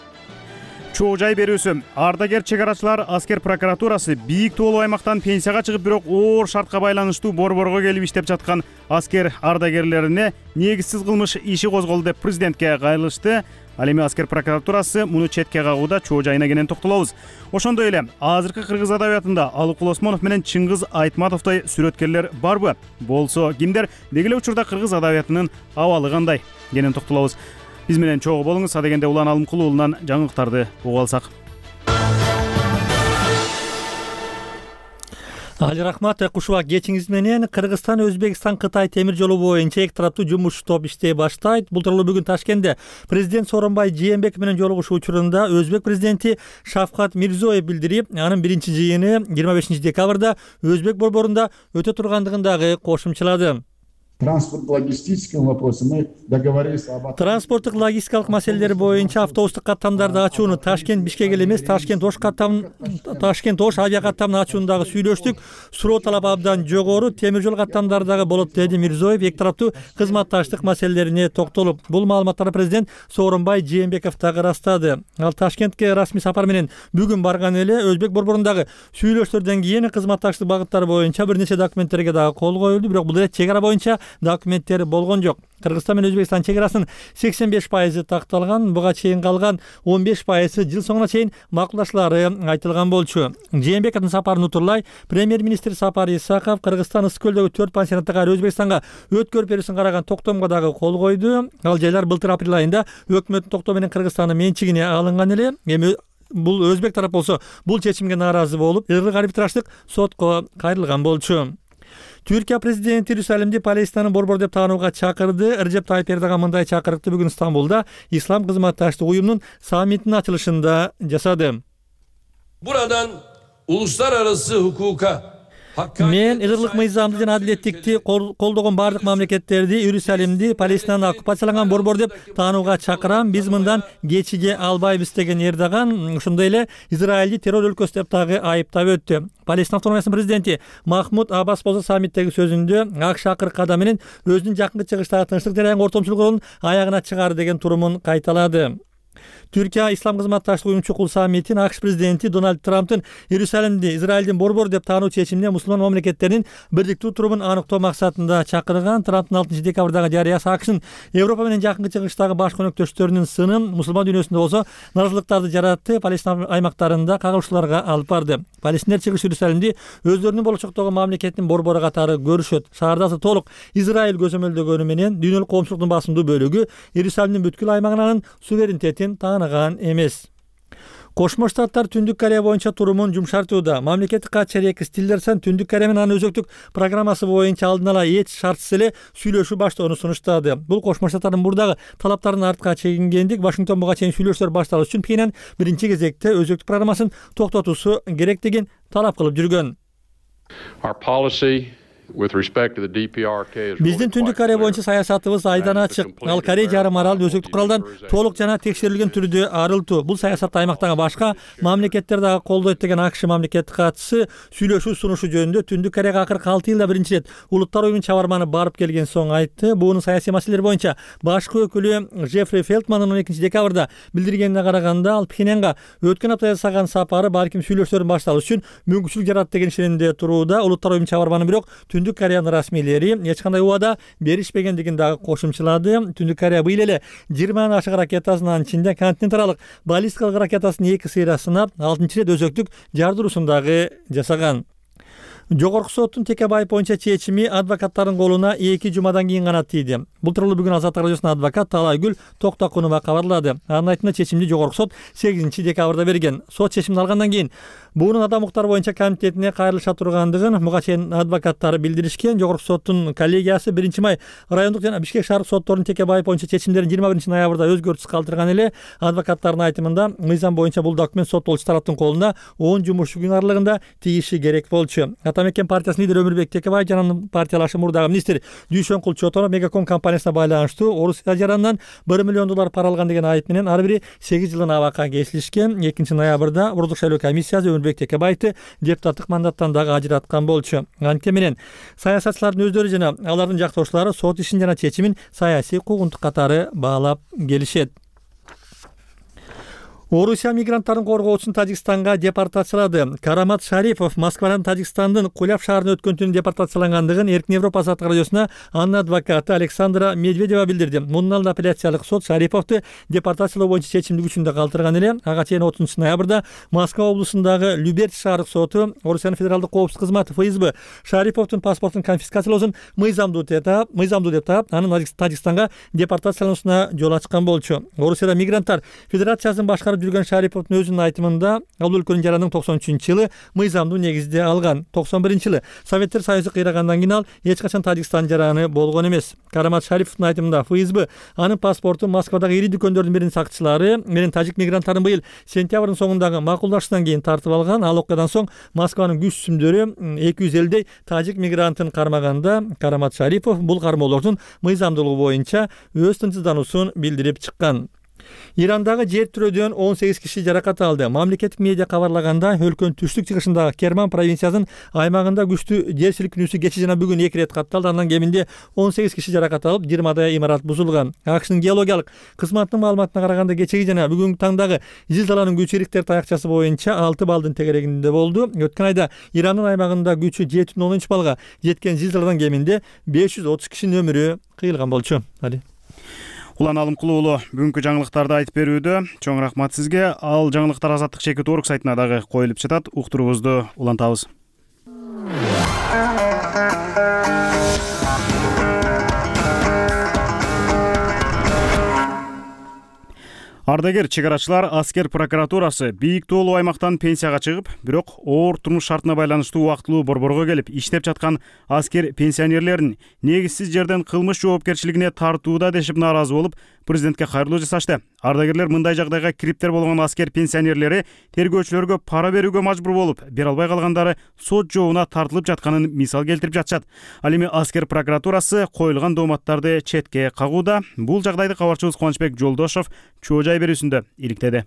чоо жай берүүсү. Ардагер чек арачылар аскер прокуратурасы бийик тоолуу аймактан пенсияга чыгып, бирок оор шартка байланыштуу борборго келип иштеп жаткан аскер ардагерлерине негизсиз кылмыш иши козголду деп президентке кайрылышты. Ал эми аскер прокуратурасы муну четке кагууда, чоо жайына кенен токтолобуз. Ошондой эле азыркы кыргыз адабиятында Алыкул Осмонов менен Чыңгыз Айтматовдой сүрөткерлер барбы? Болсо кимдер? Деги эле учурда кыргыз адабиятынын абалы кандай? Кенен токтолобуз. Биз менен чогуу болуңуз. Адегенде Улан Алымкул уулунан жаңылыктарды угуп алсак. Али рахмат, кушуба кечиңиз менен. Кыргызстан, Өзбекстан, Кытай темир жолу боюнча эки тараптуу жумуш топ иштей баштайт. Бул тууралуу бүгүн Ташкентте президент Сооронбай Жээнбеков менен жолугушуу учурунда Өзбек президенти Шавкат Мирзиёев билдирип, анын биринчи жыйыны жыйырма бешинчи декабрда Өзбек борборунда өтө тургандыгын дагы кошумчалады. Транспорт-логистическим вопросам мы договорились об... Транспорттук логистикалык маселелер боюнча автобустук каттамдарды ачууну Ташкент Бишкек эле эмес, Ташкент Ош каттам Ташкент Ош авиа каттамын ачууну дагы сүйлөштүк. Суроо талап абдан жогору, темир жол каттамдары дагы болот деди Мирзиёев, эки тараптуу кызматташтык маселелерине токтолуп. Бул маалыматтарды президент Сооронбай Жээнбеков дагы ырастады. Ал Ташкентке расмий сапар менен бүгүн барган эле. Өзбек борборундагы сүйлөштөрдөн кийин кызматташтык багыттары боюнча бир нече документтерге дагы кол коюлду, бирок бул эле чек ара боюнча документтери болгон жок. Кыргызстан менен Өзбекстан чек арасынын сексен беш пайызы такталган, буга чейин калган он беш пайызы жыл соңуна чейин макулдашлары айтылган болчу. Жээнбековдун сапарын утурлай премьер-министр Сапар Исаков Кыргызстан ысык көлдөгү төрт пансионатты кайра Өзбекстанга өткөрүп берүүсүн караган токтомго дагы кол койду. Ал жайлар былтыр апрель айында өкмөттүн токтоо менен Кыргызстандын менчигине алынган эле. Эми бул Өзбек тарап болсо бул чечимге нааразы болуп, ыргык арбитраждык сотко кайрылган болчу. Түркия президенти Иерусалимди Палестинанын борбору деп таанууга чакырды. Режеп Тайып Эрдоган мындай чакырыкты бүгүн Стамбулда Ислам кызматташтык уюмунун саммитинин ачылышында жасады. Buradan uluslararası hukuka Мен ыгырлык мыйзамды жана адилеттикти колдогон бардык мамлекеттерди Иерусалимди Палестинанын оккупацияланган борбор деп таанууга чакырам. Биз мындан кечиге албайбыз деген Эрдоган ошондой эле Израилди террор өлкөсү деп дагы айыптап өттү. Палестина автономиясынын президенти Махмуд Аббас болсо саммиттеги сөзүндө ак шакыр кадам менен өзүнүн жакынкы чыгыштагы тынчтык жараянга ортомчулук ролун аягына чыгарды деген турумун кайталады. Түркия Ислам кызматташтык уюму чукул саммитин АКШ президенти Дональд Трамптын Иерусалимди Израилдин борбору деп таануу чечимине мусулман мамлекеттердин бирдиктүү турумун аныктоо максатында чакырган. Трамптын алтынчы декабрдагы жарыясы АКШнын Европа менен жакынкы чыгыштагы баш өнөктөштөрүнүн сынын мусулман дүйнөсүндө болсо наразылыктарды жаратты, Палестина аймактарында кагылышууларга алып барды. Палестинер чыгыш Иерусалимди өздөрүнүн болочоктогу мамлекеттин борбору катары көрүшөт. Шаардасы толук Израиль көзөмөлдөгөнү менен дүйнөлүк коомчулуктун басымдуу бөлүгү Иерусалимдин бүткүл аймагынын суверенитетин тааныган эмес. Кошмо Штаттар Түндүк Корея боюнча турумун жумшартууда. Мамлекеттик катчы Рекс Тиллерсон Түндүк Корея менен анын өзөктүк программасы боюнча алдын ала эч шартсыз эле сүйлөшүү баштоону сунуштады. Бул Кошмо Штаттардын мурдагы талаптарын артка чегингендик. Вашингтон буга чейин сүйлөшүүлөр башталыш үчүн Пхеньян биринчи кезекте өзөктүк программасын токтотуусу керектигин талап кылып жүргөн. Биздин Түндүк Корея боюнча саясатыбыз айдан ачык. Ал Корея жарым аралын өзөктүк куралдан толук жана текшерилген түрдө арылтуу. Бул саясатты аймактагы башка мамлекеттер дагы колдойт деген АКШ мамлекеттик катчысы сүйлөшүү сунушу жөнүндө Түндүк Кореяга акыркы алты жылда биринчи ирет улуттар уюмунун чабарманы барып келген соң айтты. Буунун саясий маселелер боюнча башкы өкүлү Джеффри Фелтмандын он экинчи декабрда билдиргенине караганда, ал Пхеньянга өткөн апта жасаган сапары балким сүйлөшүүлөрдүн башталышы үчүн мүмкүнчүлүк жарат деген ишенимде турууда. Улуттар уюмунун чабарманы бирок Түндүк Кореянын расмийлери эч кандай убада беришпегендигин дагы кошумчалады. Түндүк Корея быйыл эле жыйырмадан ашык ракетасынын ичинде континенталдык баллистикалык ракетасынын эки сыйра сынап, алтынчы ирет өзөктүк жардыруусун дагы жасаган. Жогорку соттун Текебаев боюнча чечими адвокаттардын колуна эки жумадан кийин гана тийди. Бул тууралуу бүгүн Азаттык радиосунун адвокат Талайгүл Токтокунова кабарлады. Анын айтымында чечимди Жогорку сот сегизинчи декабрда берген. Сот чечимин алгандан кийин буунун адам укуктары боюнча комитетине кайрылыша тургандыгын буга чейин адвокаттары билдиришкен. Жогорку соттун коллегиясы биринчи май райондук жана Бишкек шаардык сотторунун Текебаев боюнча чечимдерин жыйырма биринчи ноябрда өзгөртүсүз калтырган эле. Адвокаттардын айтымында мыйзам боюнча бул документ соттолуучу тараптын колуна он жумушчу күн аралыгында тийиши керек болчу. Атамекен партиясынын лидери Өмүрбек Текебаев жана анын партиялашы мурдагы министр Дүйшөнкул Чотонов Мегаком компаниясына байланыштуу Орусия жаранынан бир миллион доллар пара алган деген айып менен ар бири сегиз жылын абакка кесилишкен. экинчи ноябрда Ордук шайлоо комиссиясы Өмүрбек Текебаевди депутаттык мандаттан дагы ажыраткан болчу. Анткени менен саясатчылардын өздөрү жана алардын жактоочулары сот ишин жана чечимин саясий куугунтук катары баалап келишет. Орусия мигранттарын коргоочусун Тажикстанга депортациялады. Карамат Шарипов Москвадан Тажикстандын Куляв шаарына өткөн түнү депортациялангандыгын Эркин Европа Азаттык радиосуна анын адвокаты Александра Медведева билдирди. Мунун алдында апелляциялык сот Шариповду депортациялоо боюнча чечимди күчүндө калтырган эле. Ага чейин отузунчу ноябрда Москва облусундагы Люберч шаардык соту Орусиянын федералдык коопсуздук кызматы эф эс бэ Шариповдун паспортун конфискациялоосун мыйзамдуу деп таап, мыйзамдуу деп таап, анын Тажикстанга депортациялануусуна жол ачкан болчу. Орусияда мигранттар федерациясын башкарып жүргөн Шариповдун өзүнүн айтымында ал өлкөнүн жарандыгын токсон үчүнчү жылы мыйзамдуу негизде алган. токсон биринчи жылы Советтер Союзу кыйрагандан кийин ал эч качан Тажикстан жараны болгон эмес. Карамат Шариповдун айтымында эф эс бэ анын паспортун Москвадагы ири дүкөндөрдүн биринин сакчылары менен тажик мигранттарын быйыл сентябрдын соңундагы макулдашуудан кийин тартып алган. Ал окуядан соң Москванын күч сүмдөрү эки жүз элүүдөй тажик мигрантын кармаганда Карамат Шарипов бул кармоолордун мыйзамдуулугу боюнча өз тынчсыздануусун билдирип чыккан. Ирандагы жер тирөөдөн он сегиз киши жаракат алды. Мамлекеттик медиа кабарлаганда, өлкөнүн түштүк чыгышындагы Керман провинциясынын аймагында күчтүү жер силкинүүсү кечээ жана бүгүн эки ирет катталды. Андан кеминде он сегиз киши жаракат алып, жыйырмадай имарат бузулган. АКШнын геологиялык кызматынын маалыматына караганда, кечеги жана бүгүнкү таңдагы зилзаланын күчү Рихтер таякчасы боюнча алты балдын тегерегинде болду. Өткөн айда Ирандын аймагында күчү жети бүтүн оннун үч балга жеткен зилзаладан кеминде беш жүз отуз кишинин өмүрү кыйылган болчу. Али Улан Алымкул уулу бүгүнкү жаңылыктарды айтып берүүдө чоң рахмат сизге. Ал жаңылыктар Азаттык чекит орг сайтына дагы коюлуп жатат. Уктуруубузду улантабыз. Ардагер чегарачылар аскер прокуратурасы бийик тоолуу аймактан пенсияга чыгып, бирок оор турмуш шартына байланыштуу убактылуу борборго келип иштеп жаткан аскер пенсионерлерин негизсиз жерден кылмыш жоопкерчилигине тартууда дешип нааразы болуп, президентке кайрылуу жасашты. Ардагерлер мындай жагдайга кириптер болгон аскер пенсионерлери тергөөчүлөргө пара берүүгө мажбур болуп, бере албай калгандары сот жообуна тартылып жатканын мисал келтирип жатышат. Ал эми аскер прокуратурасы коюлган дооматтарды четке кагууда. Бул жагдайды кабарчыбыз Кубанычбек Жолдошов чоо жай берүүсүндө иликтеди.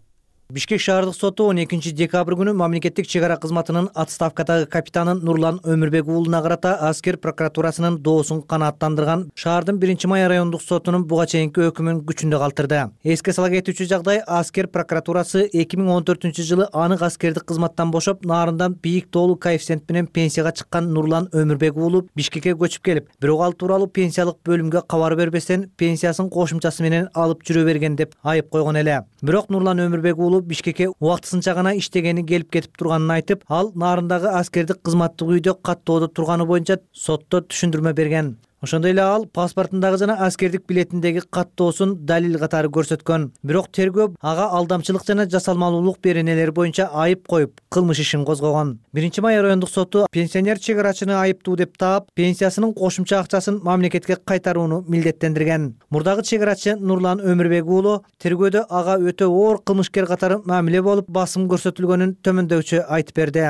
Бишкек шаардык соту он экинчи декабрь күнү мамлекеттик чек ара кызматынын отставкадагы капитанын Нурлан Өмүрбек уулуна карата аскер прокуратурасынын доосун канааттандырган шаардын биринчи май райондук сотунун буга чейинки өкүмүн күчүндө калтырды. Эске сала кетүүчү жагдай, аскер прокуратурасы эки миң он төртүнчү жылы анык аскердик кызматтан бошоп, нарындан бийик тоолуу коэффициент менен пенсияга чыккан Нурлан Өмүрбек уулу Бишкекке көчүп келип, бирок ал тууралуу пенсиялык бөлүмгө кабар бербестен пенсиясын кошумчасы менен алып жүрө берген деп айып койгон эле. Бирок Нурлан Өмүрбек уулу Бишкекке убактысынча гана иштегени келип кетип турганын айтып, ал нарындагы аскердик кызматтык үйдө каттоодо турганы боюнча сотто түшүндүрмө берген. Ошондой эле ал паспортундагы жана аскердик билетиндеги каттоосун далил катары көрсөткөн. Бирок тергөө ага алдамчылык жана жасалмалуулук беренелери боюнча айып коюп, кылмыш ишин козгогон. биринчи май райондук соту пенсионер чек арачыны айыптуу деп таап, пенсиясынын кошумча акчасын мамлекетке кайтарууну милдеттендирген. Мурдагы чек арачы Нурлан Өмүрбек уулу тергөөдө ага өтө оор кылмышкер катары мамиле болуп, басым көрсөтүлгөнүн төмөндөүчү айтып берди.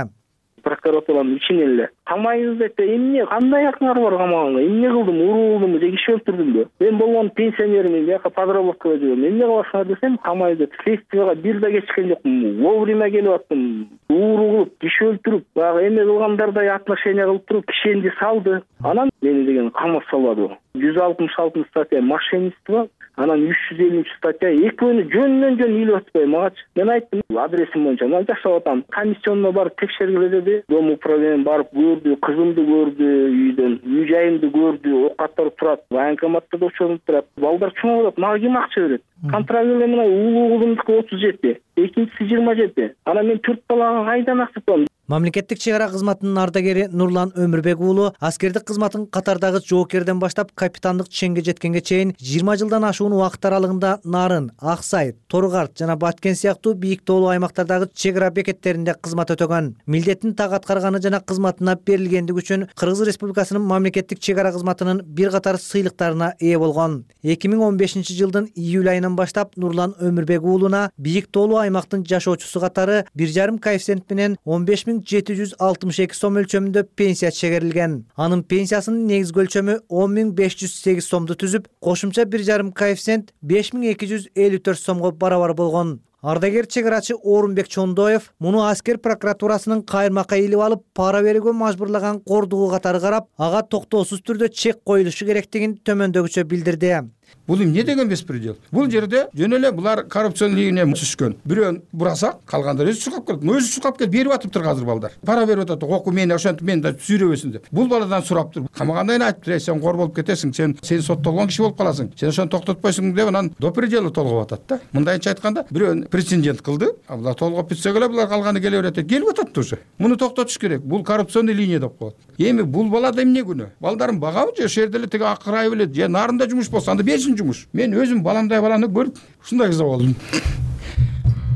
Прокуратуранын ичинен эле камайбыз деп эмне кандай акыңар бар камаганга, эмне кылдым, урулдумбу же киши өлтүрдүмбү, мен болгон пенсионермин, бияка подработкага жүрөм, эмне кыласыңар десем, камайбыз деп следствияга бир да кечиккен жокмун, вовремя келип аттым, ууру кылып, киши өлтүрүп, баягы эме кылгандардай отношение кылып туруп кишенди салды. Анан мени деген камап салбады. жүз алтымыш алтынчы статья мошенничество, анан үч жүз элүүнчү статья экөөнү жөнүнөн жөн үйлөп атпайбы магачы. Мен айттым, адресим боюнча мына жашап атам. Комиссионно барып текшергиле деди. Дом управление барып көрдү, кызымды көрдү үйдөн, үй жайымды көрдү, оокаттар турат, военкоматта да учурунуп турат. Балдар чоң болот, мага ким акча берет? Контракт эле мына улуу кызымдыкы отуз жети, экинчиси жыйырма жети. Анан мен төрт балага кайдан акча табам? Мамлекеттик чек ара кызматынын ардагери Нурлан Өмүрбек уулу аскердик кызматын катардагы жоокерден баштап капитандык ченге жеткенге чейин жыйырма жылдан ашуун убакыт аралыгында Нарын, Аксай, Торгарт жана Баткен сыяктуу бийик тоолуу аймактардагы чек ара бекеттеринде кызмат өтөгөн. Милдетин так аткарганы жана кызматына берилгендиги үчүн Кыргыз Республикасынын мамлекеттик чек ара кызматынын бир катар сыйлыктарына ээ болгон. эки миң он бешинчи жылдын июль айынан баштап Нурлан Өмүрбек уулуна бийик тоолуу аймактын жашоочусу катары бир жарым коэффициент менен он беш миң жети жүз алтымыш эки сом өлчөмүндө пенсия чегерилген. Анын пенсиясынын негизги өлчөмү он миң беш жүз сегиз сомду түзүп, кошумча бир жарым коэффициент беш миң эки жүз элүү төрт сомго барабар болгон. Ардагер чек арачы Орунбек Чондоев муну аскер прокуратурасынын кайырмакка илип алып, пара берүүгө мажбурлаган кордугу катары карап, ага токтоосуз түрдө чек коюлушу керектигин төмөндөгүчө билдирди. Бул эмне деген беспредел? Бул жерде жөн эле булар коррупциянын ийине түшкөн. Бирөөнү бурасак, калгандар өзү чуркап келет. Өзү чуркап келип берип атыптыр азыр балдар. Пара берип атат. Оку мени ошентип мени да сүйрөбөсүн деп. Бул баладан сурап туруп, камагандан айтыптыр, сен кор болуп кетесиң, сен сен соттолгон киши болуп каласың. Сен ошону токтотпойсуң деп анан до предела толгоп атат да. Мындайча айтканда, бирөөнү прецедент кылды. А булар толгоп бүтсө эле булар калганы келе берет. Келип атат уже. Муну токтотуш керек. Бул коррупционный линия деп коет. Эми бул балада эмне күнөө? Балдарым багабы же ошол жерде эле тиги акырай белет, же нарында жумуш болсо анда берсин жумуш. Мен өзүм баламдай баланы көрүп ушундай кыза болдум.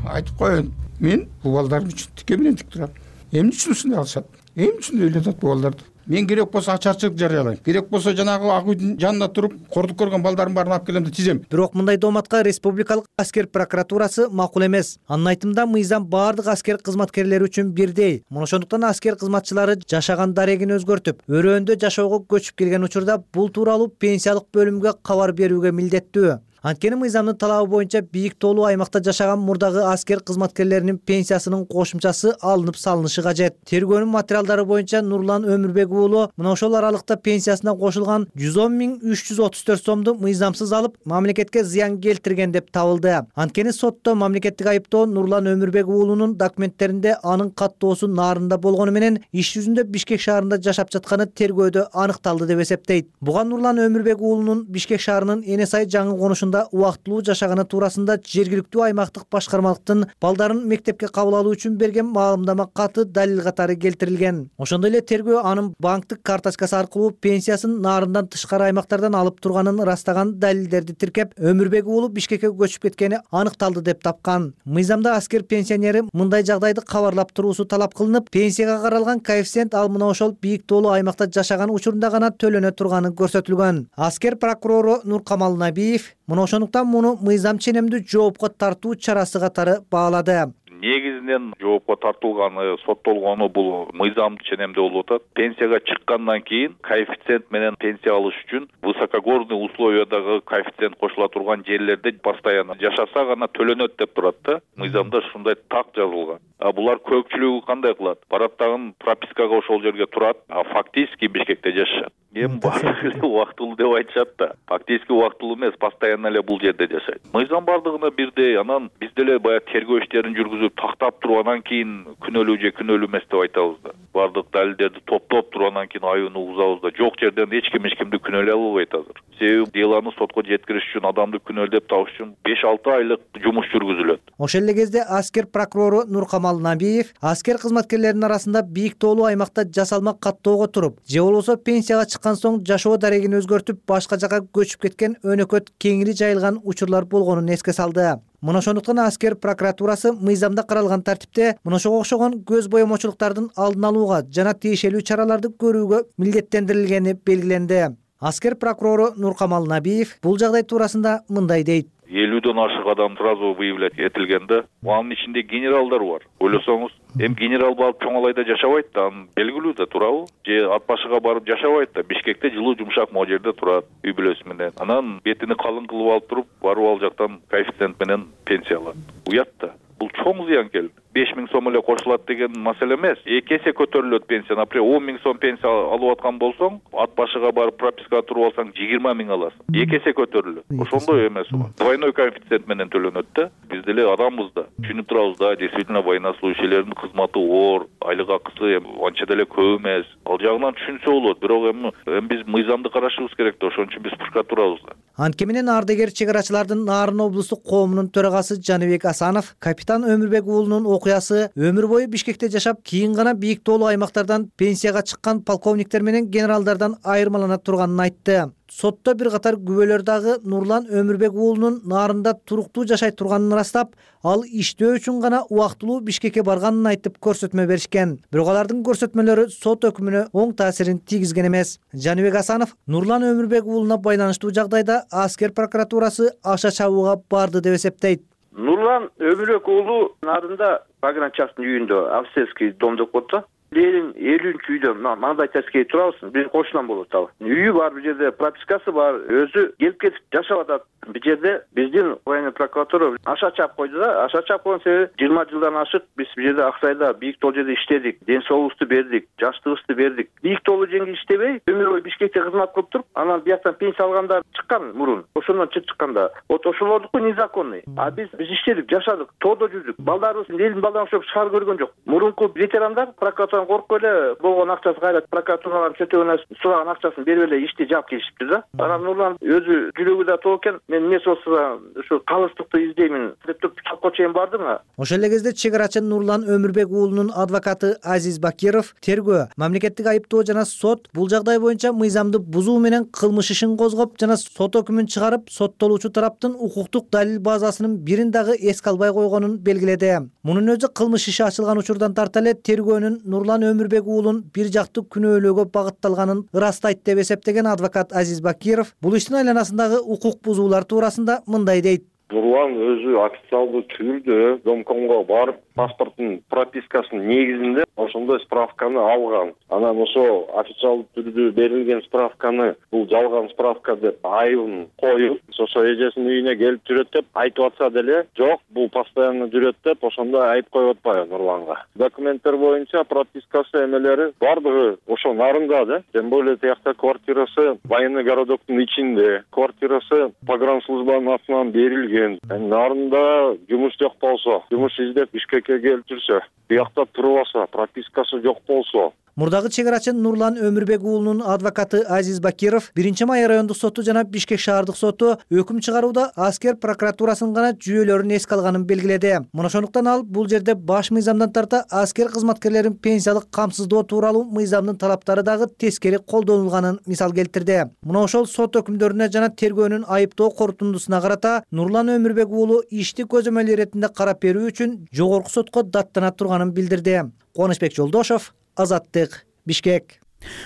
Айтып коеюн, мен бул балдарым үчүн тике менен тик турам. Эмне үчүн ушундай кылышат? Эмне үчүн эле атат бул балдарды? Мен керек болсо ачарчылык жарыялайм. Керек болсо жанагы ак үйдүн жанына туруп, кордук көргөн балдарым баарын алып келем деп тизем. Бирок мындай дооматка республикалык аскер прокуратурасы макул эмес. Анын айтымында мыйзам баардык аскер кызматкерлери үчүн бирдей. Мына ошондуктан аскер кызматчылары жашаган дарегин өзгөртүп, өрөөндө жашоого көчүп келген учурда бул тууралуу пенсиялык бөлүмгө кабар берүүгө милдеттүү. Анткени мыйзамдын талабы боюнча бийик тоолуу аймакта жашаган мурдагы аскер кызматкерлеринин пенсиясынын кошумчасы алынып салынышы кажет. Тергөөнүн материалдары боюнча Нурлан Өмүрбек уулу мына ошол аралыкта пенсиясына кошулган жүз он миң үч жүз отуз төрт сомду мыйзамсыз алып, мамлекетке зыян келтирген деп табылды. Анткени сотто мамлекеттик айыптоо Нурлан Өмүрбек уулунун документтеринде анын каттоосу Нарында болгону менен иш жүзүндө Бишкек шаарында жашап жатканы тергөөдө аныкталды деп эсептейт. Буга Нурлан Өмүрбек уулунун Бишкек шаарынын Эне сай жаңы конушунда убактылуу жашаганы туурасында жергиликтүү аймактык башкармалыктын балдарын мектепке кабыл алуу үчүн берген маалымдама каты далил катары келтирилген. Ошондой эле тергөө анын банктык карточкасы аркылуу пенсиясын Нарындан тышкары аймактардан алып турганын ырастаган далилдерди тиркеп, Өмүрбек уулу Бишкекке көчүп кеткени аныкталды деп тапкан. Мыйзамда аскер пенсионери мындай жагдайды кабарлап туруусу талап кылынып, пенсияга каралган коэффициент ал мына ошол бийик тоолуу аймакта жашаган учурунда гана төлөнө турганы көрсөтүлгөн. Аскер прокурору Нуркамал Набиев мына ошондуктан муну мыйзам ченемдүү жоопко тартуу чарасы катары баалады. Негизинен жоопко тартылганы, соттолгону бул мыйзам ченемдүү болуп атат. Пенсияга чыккандан кийин коэффициент менен пенсия алыш үчүн высокогорный условиядагы коэффициент кошула турган жерлерде постоянно жашаса гана төлөнөт деп турат да. Мыйзамда ушундай так жазылган. А булар көпчүлүгү кандай кылат? Барат дагы пропискага ошол жерге турат, а фактически Бишкекте жашашат. Эми баардыгы эле убактылуу деп айтышат да. Фактически убактылуу эмес, постоянно эле бул жерде жашайт. Мыйзам бардыгына бирдей. Анан биз деле баягы тергөө иштерин жүргүзүп тактап туруп анан кийин күнөөлүү же күнөөлүү эмес деп айтабыз да. Бардык далилдерди топтоп туруп анан кийин айууну угузабыз да. Жок жерден эч ким эч кимди күнөөлөй албайт азыр. Себеби делону сотко жеткириш үчүн, адамды күнөөлөп табыш үчүн беш алты айлык жумуш жүргүзүлөт. Ошол эле кезде аскер прокурору Нуркамал Набиев аскер кызматкерлеринин арасында бийик тоолуу аймакта жасалма каттоого туруп, же болбосо пенсияга чыккан соң жашоо дарегин өзгөртүп башка жакка көчүп кеткен өнөкөт кеңири жайылган учурлар болгонун эске салды. Мына ошондуктан аскер прокуратурасы мыйзамда каралган тартипте мына ошого окшогон көз боемочулуктардын алдын алууга жана тиешелүү чараларды көрүүгө милдеттендирилгени белгиленди. Аскер прокурору Нуркамал Набиев бул жагдай туурасында мындай дейт. элүүдөн ашык адам сразу выявлять этилгенде, анын ичинде генералдар бар. Ойлосоңуз, эми генерал барып Чоңалайда жашабайт да, анын белгилүү да, туурабы? Же ат башыга барып жашабайт да, Бишкекте жылуу жумшак могу жерде турат, үй бүлөсү менен. Анан бетини калың кылып алып туруп, барып ал жактан коэффициент менен пенсия алат. Уят да. Бул чоң зыянкел. беш миң сом эле кошулат деген маселе эмес. эки эсе көтөрүлөт пенсия. Например, он миң сом пенсия алып аткан болсоң, ат башыга барып пропискага туруп алсаң жыйырма миң аласың. эки эсе көтөрүлөт. Ошондой эмес бул. Двойной коэффициент менен төлөнөт да. Биз деле адамбыз да. Түшүнүп турабыз да, действительно военнослужащийлердин кызматы оор, айлык акысы анча деле көп эмес. Ал жагынан түшүнсө болот, бирок эми эми биз мыйзамды карашыбыз керек да, ошон үчүн биз пушка турабыз да. Анткени менен ардагер чек арачылардын Нарын облустук коомунун төрагасы Жаныбек Асанов капитан Өмүрбек уулунун окуясы өмүр бою Бишкекте жашап, кийин гана бийик тоолуу аймактардан пенсияга чыккан полковниктер менен генералдардан айырмалана турганын айтты. Сотто бир катар күбөлөр дагы Нурлан Өмүрбек уулунун Нарында туруктуу жашай турганын ырастап, ал иштөө үчүн гана убактылуу Бишкекке барганын айтып көрсөтмө беришкен. Бирок алардын көрсөтмөлөрү сот өкүмүнө оң таасирин тийгизген эмес. Жаныбек Асанов Нурлан Өмүрбек уулуна байланыштуу жагдайда аскер прокуратурасы аша чабууга барды деп эсептейт. Нурлан Өмүрбек уулу Нарында погранчактын үйүндө австрийский дом деп коет да. Ленин элүүнчү үйдө мындай тескей турабыз, биздин кошунан болот ал. Үйү бар, бул жерде пропискасы бар, өзү келип кетип жашап атат. Бул жерде биздин военный прокуратура аша чап койду да, аша чап койгон себеби жыйырма жылдан ашык биз бул жерде Аксайда бийик тоол жерде иштедик, ден соолугубузду бердик, жаштыгыбызды бердик. Бийик тоолу жеңги иштебей, өмүр бою Бишкекте кызмат кылып туруп, анан бияктан пенсия алгандар чыккан мурун. Ошондон чыгып чыкканда, вот ошолордуку незаконный. А биз биз иштедик, жашадык, тоодо жүрдүк. Балдарыбыз элдин балдарына окшоп шаар көргөн жок. Мурунку ветерандар прокуратурадан коркуп эле болгон акчасы кайрат прокуратурадан чөтөгөнө сураган акчасын берип эле ишти жаап келишиптир да. Анан Нурлан өзү жүрөгү да тоо экен. Мен эмес болсо ушу калыстыкты издеймин деп туруп чапко чейин бардым. Ошол эле кезде чек арачы Нурлан Өмүрбек уулунун адвокаты Азиз Бакиров тергөө, мамлекеттик айыптоо жана сот бул жагдай боюнча мыйзамды бузуу менен кылмыш ишин козгоп жана сот өкүмүн чыгарып, соттолуучу тараптын укуктук далил базасынын бирин дагы эске албай койгонун белгиледи. Мунун өзү кылмыш иши ачылган учурдан тарта эле тергөөнүн Нурлан Өмүрбек уулун бир жактуу күнөөлөөгө багытталганын ырастайт деп эсептеген адвокат Азиз Бакиров бул иштин айланасындагы укук бузуулар туурасында мындай дейт. Нурлан өзү официалдуу түрдө домкомго барып, паспорттун пропискасынын негизинде ошондой справканы алган. Анан ошо официалдуу түрдө берилген справканы бул жалган справка деп айыбын коюп, ошо эжесинин үйүнө келип жүрөт деп айтып атса деле, жок, бул постоянно жүрөт деп ошондой айып коюп атпайбы Нурланга. Документтер боюнча пропискасы эмелери бардыгы ошо Нарында да. Тем более тиякта квартирасы военный городоктун ичинде, квартирасы погранслужбанын атынан берилген. Нарында жумуш жок болсо, жумуш издеп Бишкекке келип жүрсө, биякта туруп алса, пропискасы жок болсо. Мурдагы чек арачы Нурлан Өмүрбек уулунун адвокаты Азиз Бакиров биринчи май райондук соту жана Бишкек шаардык соту өкүм чыгарууда аскер прокуратурасынын гана жүйөлөрүн эске алганын белгиледи. Мына ошондуктан ал бул жерде баш мыйзамдан тарта аскер кызматкерлерин пенсиялык камсыздоо тууралуу мыйзамдын талаптары дагы тескери колдонулганын мисал келтирди. Мына ошол сот өкүмдөрүнө жана тергөөнүн айыптоо корутундусуна карата Нурлан Өмүрбек уулу ишти көзөмөл иретинде карап берүү үчүн жогорку сотко даттана турганын билдирди. Кубанычбек Жолдошов, Азаттык, Бишкек.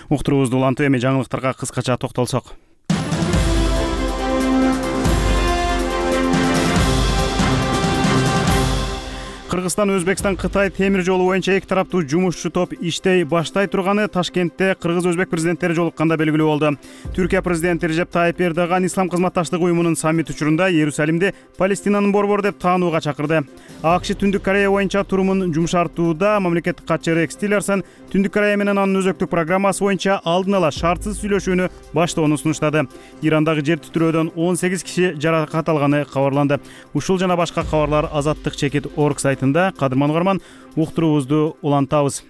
Уктуруубузду улантып эми жаңылыктарга кыскача токтолсок. Кыргызстан, Өзбекстан, Кытай темир жолу боюнча эки тараптуу жумушчу топ иштей баштай турганы Ташкентте кыргыз-өзбек президенттери жолукканда белгилүү болду. Түркия президенти Режеп Тайып Эрдоган Ислам кызматташтыгы уюмунун саммит учурунда Иерусалимди Палестинанын борбору деп таанууга чакырды. АКШ Түндүк Корея боюнча турумун жумшартууда мамлекеттик катчы Рекс Тиллерсон Түндүк Корея менен анын өзөктүк программасы боюнча алдын ала шартсыз сүйлөшүүнү баштоону сунуштады. Ирандагы жер титирөөдөн он сегиз киши жаракат алганы кабарланды. Ушул жана башка кабарлар Азаттык чекит орг сайтында. Кадырман угарман, уктуруубузду улантабыз.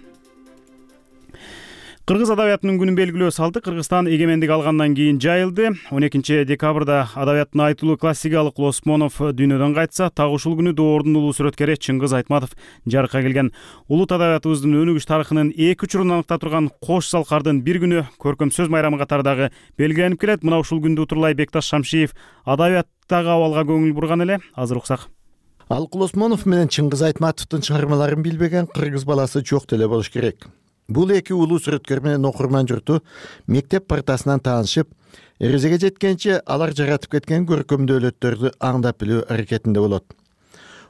Кыргыз адабиятынын күнүн белгилөө салты Кыргызстан эгемендик алгандан кийин жайылды. он экинчи декабрда адабияттын айтылуу классикалык Лосмонов дүйнөдөн кайтса, так ушул күнү доордун улуу сүрөткери Чыңгыз Айтматов жарыкка келген. Улут адабиятыбыздын өнүгүш тарыхынын эки учурун аныкта турган Кош Салкардын бир күнү көркөм сөз майрамы катары дагы белгиленип келет. Мына ушул күндү утурлай Бекташ Шамшиев адабияттагы абалга көңүл бурган эле. Азыр уксак. Алык Лосмонов менен Чыңгыз Айтматовдун чыгармаларын билбеген кыргыз баласы жок деле болуш керек. Бул эки улуу сүрөткөр менен окурман журту мектеп партасынан таанышып, эрезеге жеткенче алар жаратып кеткен көркөм дөөлөттөрдү аңдап билүү аракетинде болот.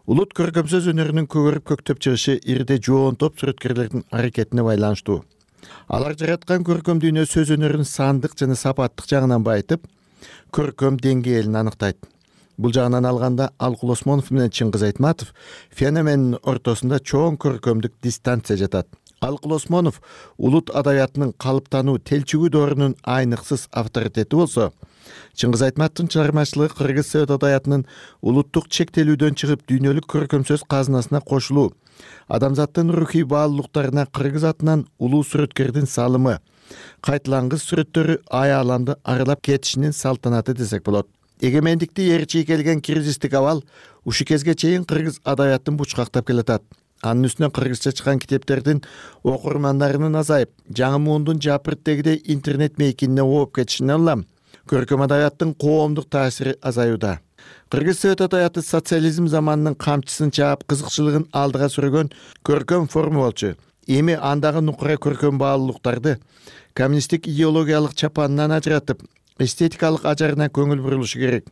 Улут көркөм сөз өнөрүнүн көгөрүп көктөп чыгышы ирде жоон топ сүрөткерлердин аракетине байланыштуу. Алар жараткан көркөм дүйнө сөз өнөрүн сандык жана сапаттык жагынан байытып, көркөм деңгээлин аныктайт. Бул жагынан алганда Алкул Осмонов менен Чыңгыз Айтматов феноменин ортосунда чоң көркөмдүк дистанция жатат. Алкул Осмонов улут адабиятынын калыптануу телчүгү доорунун айныксыз авторитети болсо, Чыңгыз Айтматовдун чыгармачылыгы кыргыз совет адабиятынын улуттук чектелүүдөн чыгып дүйнөлүк көркөм сөз казынасына кошулуу, адамзаттын рухий баалуулуктарына кыргыз атынан улуу сүрөткердин салымы, кайталангыс сүрөттөрү аяланды аралап кетишинин салтанаты десек болот. Эгемендикти ээрчи келген кризистик абал ушу кезге чейин кыргыз адабиятын бучкактап келатат. Анын үстүнө кыргызча чыккан китептердин окурмандарынын азайып, жаңы муундун жапырттегидей интернет мейкинине ооп кетишине улам көркөм адабияттын коомдук таасири азаюуда. Кыргыз совет адабияты социализм заманынын камчысын чаап, кызыкчылыгын алдыга сүргөн көркөм форма болчу. Эми андагы нукура көркөм баалуулуктарды коммунисттик идеологиялык чапанынан ажыратып, эстетикалык ажарына көңүл бурулушу керек.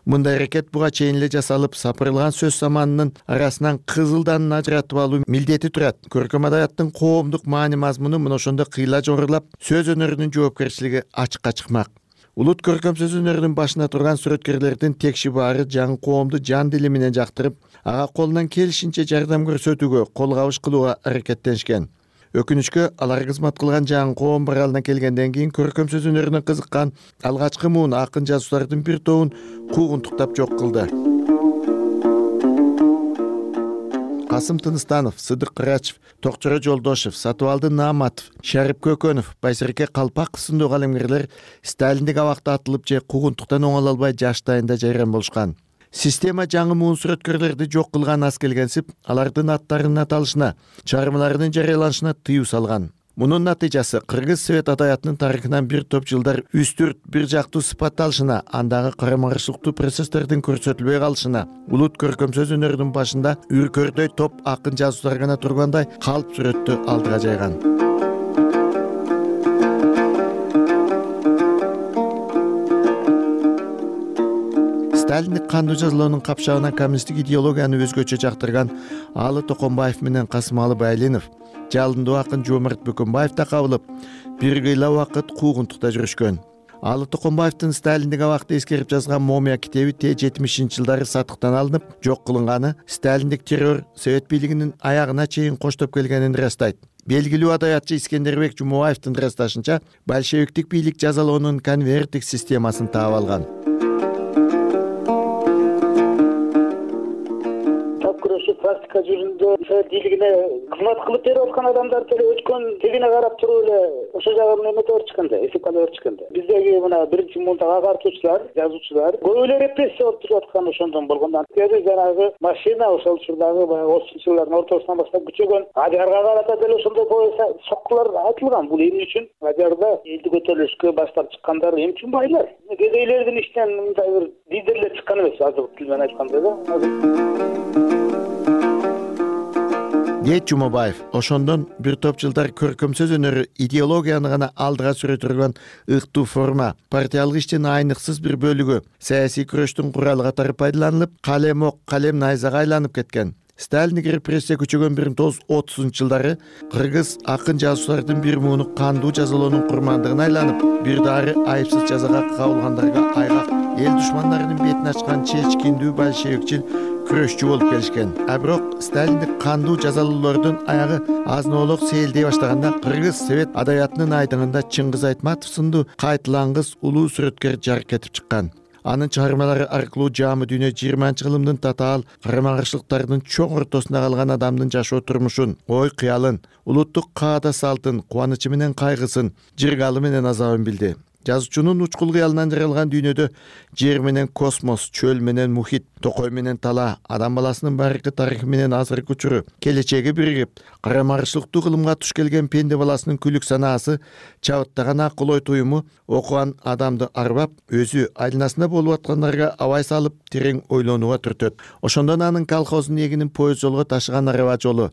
Мындай аракет буга чейин эле жасалып, сапырылган сөз заманынын арасынан кызылданын ажыратып алуу милдети турат. Көркөм адабияттын коомдук маани мазмуну мына ошондо кыйла жогорулап, сөз өнөрүнүн жоопкерчилиги ачыкка чыкмак. Улут көркөм сөз өнөрүнүн башына турган сүрөткерлердин текши баары жаңы коомду жан дили менен жактырып, ага колунан келишинче жардам көрсөтүүгө, кол кабыш кылууга аракеттенишкен. Өкүнүчкө алар кызмат кылган жаңы коом баралына келгенден кийин көркөм сөз өнөрүнө кызыккан алгачкы муун акын жазуучулардын бир тобун куугунтуктап жок кылды. Касым Тыныстанов, Сыдык Кырачев, Токчоро Жолдошев, Сатыбалды Нааматов, Шарип Көкөнов, Байсерке Калпаков сындуу калемгерлер Сталиндик абакта атылып же куугунтуктан оңоло албай жаштайында жайран болушкан. Система жаңы муун сүрөткерлерди жок кылган аз келгенсип, алардын аттарынын аталышына, чыгармаларынын жарыяланышына тыюу салган. Мунун натыйжасы кыргыз совет адабиятынын тарыхынан бир топ жылдар үстүрт, бир жактуу сыпатталышына, андагы карама-каршылыктуу процесстердин көрсөтүлбөй калышына, улут көркөм сөз өнөрүнүн башында үркөрдөй топ акын жазуучулар гана тургандай калп сүрөттү алдыга жайган. Сталиндик кандуу жазалоонун капчагына коммунисттик идеологияны өзгөчө жактырган Алы Токонбаев менен Касымалы Байлинов, жалындуу акын Жоомарт Бөкөнбаев да кабылып, бир кыйла убакыт куугунтукта жүрүшкөн. Алы Токонбаевдин Сталиндик абакты эскерип жазган Момия китеби Т жетимишинчи жылдары сатыктан алынып, жок кылынганы Сталиндик террор совет бийлигинин аягына чейин коштоп келгенин ырастайт. Белгилүү адабиятчы Искендербек Жумабаевдин ырасташынча, большевиктик бийлик жазалоонун конверттик системасын таап алган. Практика жүзүндө совет бийлигине кызмат кылып берип аткан адамдар деле өткөн тегине карап туруп эле ошо жагын эметип беришкенде, эсепкалап беришкенде. Биздеги мына биринчи муунтагы агартуучулар, жазуучулар көп эле репрессия болуп туруп аткан ошондон болгондон кийин жанагы машина ошол учурдагы баягы отузунчу жылдардын ортосунан баштап күчөгөн Адиярга карата деле ошондой поезд соккулар айтылган. Бул эмне үчүн? Адиярда элди көтөрүлүшкө баштап чыккандар эмне үчүн байлар? Кедейлердин ичинен мындай бир лидерлер чыккан эмес, азыр тил менен айтканда да. Дейт Жумабаев, ошондон бир топ жылдар көркөм сөз өнөрү идеологияны гана алдыга сүрө турган ыктуу форма, партиялык иштин айныксыз бир бөлүгү, саясий күрөштүн куралы катары пайдаланылып, калем ок, калем найзага айланып кеткен. Сталиндик репрессия күчөгөн бир миң тогуз жүз отузунчу жылдары кыргыз акын жазуучулардын бир мууну кандуу жазалоонун курмандыгына айланып, бир дары айыпсыз жазага кабылгандарга айгак эл душмандарынын бетин ачкан чечкиндүү большевикчил күрөшчү болуп келишкен. А бирок Сталиндик кандуу жазалоолордун аягы азын-оолок сейилдей баштаганда кыргыз совет адабиятынын айдыңында Чыңгыз Айтматов сындуу кайталангыс улуу сүрөткер жарык этип чыккан. Анын чыгармалары аркылуу жаамы дүйнө жыйырманчы кылымдын татаал карама-каршылыктардын чоң ортосунда калган адамдын жашоо турмушун, ой кыялын, улуттук каада салтын, кубанычы менен кайгысын, жыргалы менен азабын билди. Жазуучунун учкул кыялынан жаралган дүйнөдө жер менен космос, чөл менен мухит, токой менен тала, адам баласынын баркы тарыхы менен азыркы учуру, келечеги биригип, карама-каршылыктуу кылымга туш келген пенде баласынын күлүк санаасы, чабыттаган акыл ой туюму окуган адамды арбап, өзү айланасында болуп аткандарга абай салып, терең ойлонууга түртөт. Ошондон анын колхоздун эгинин поезд жолго ташыган араба жолу,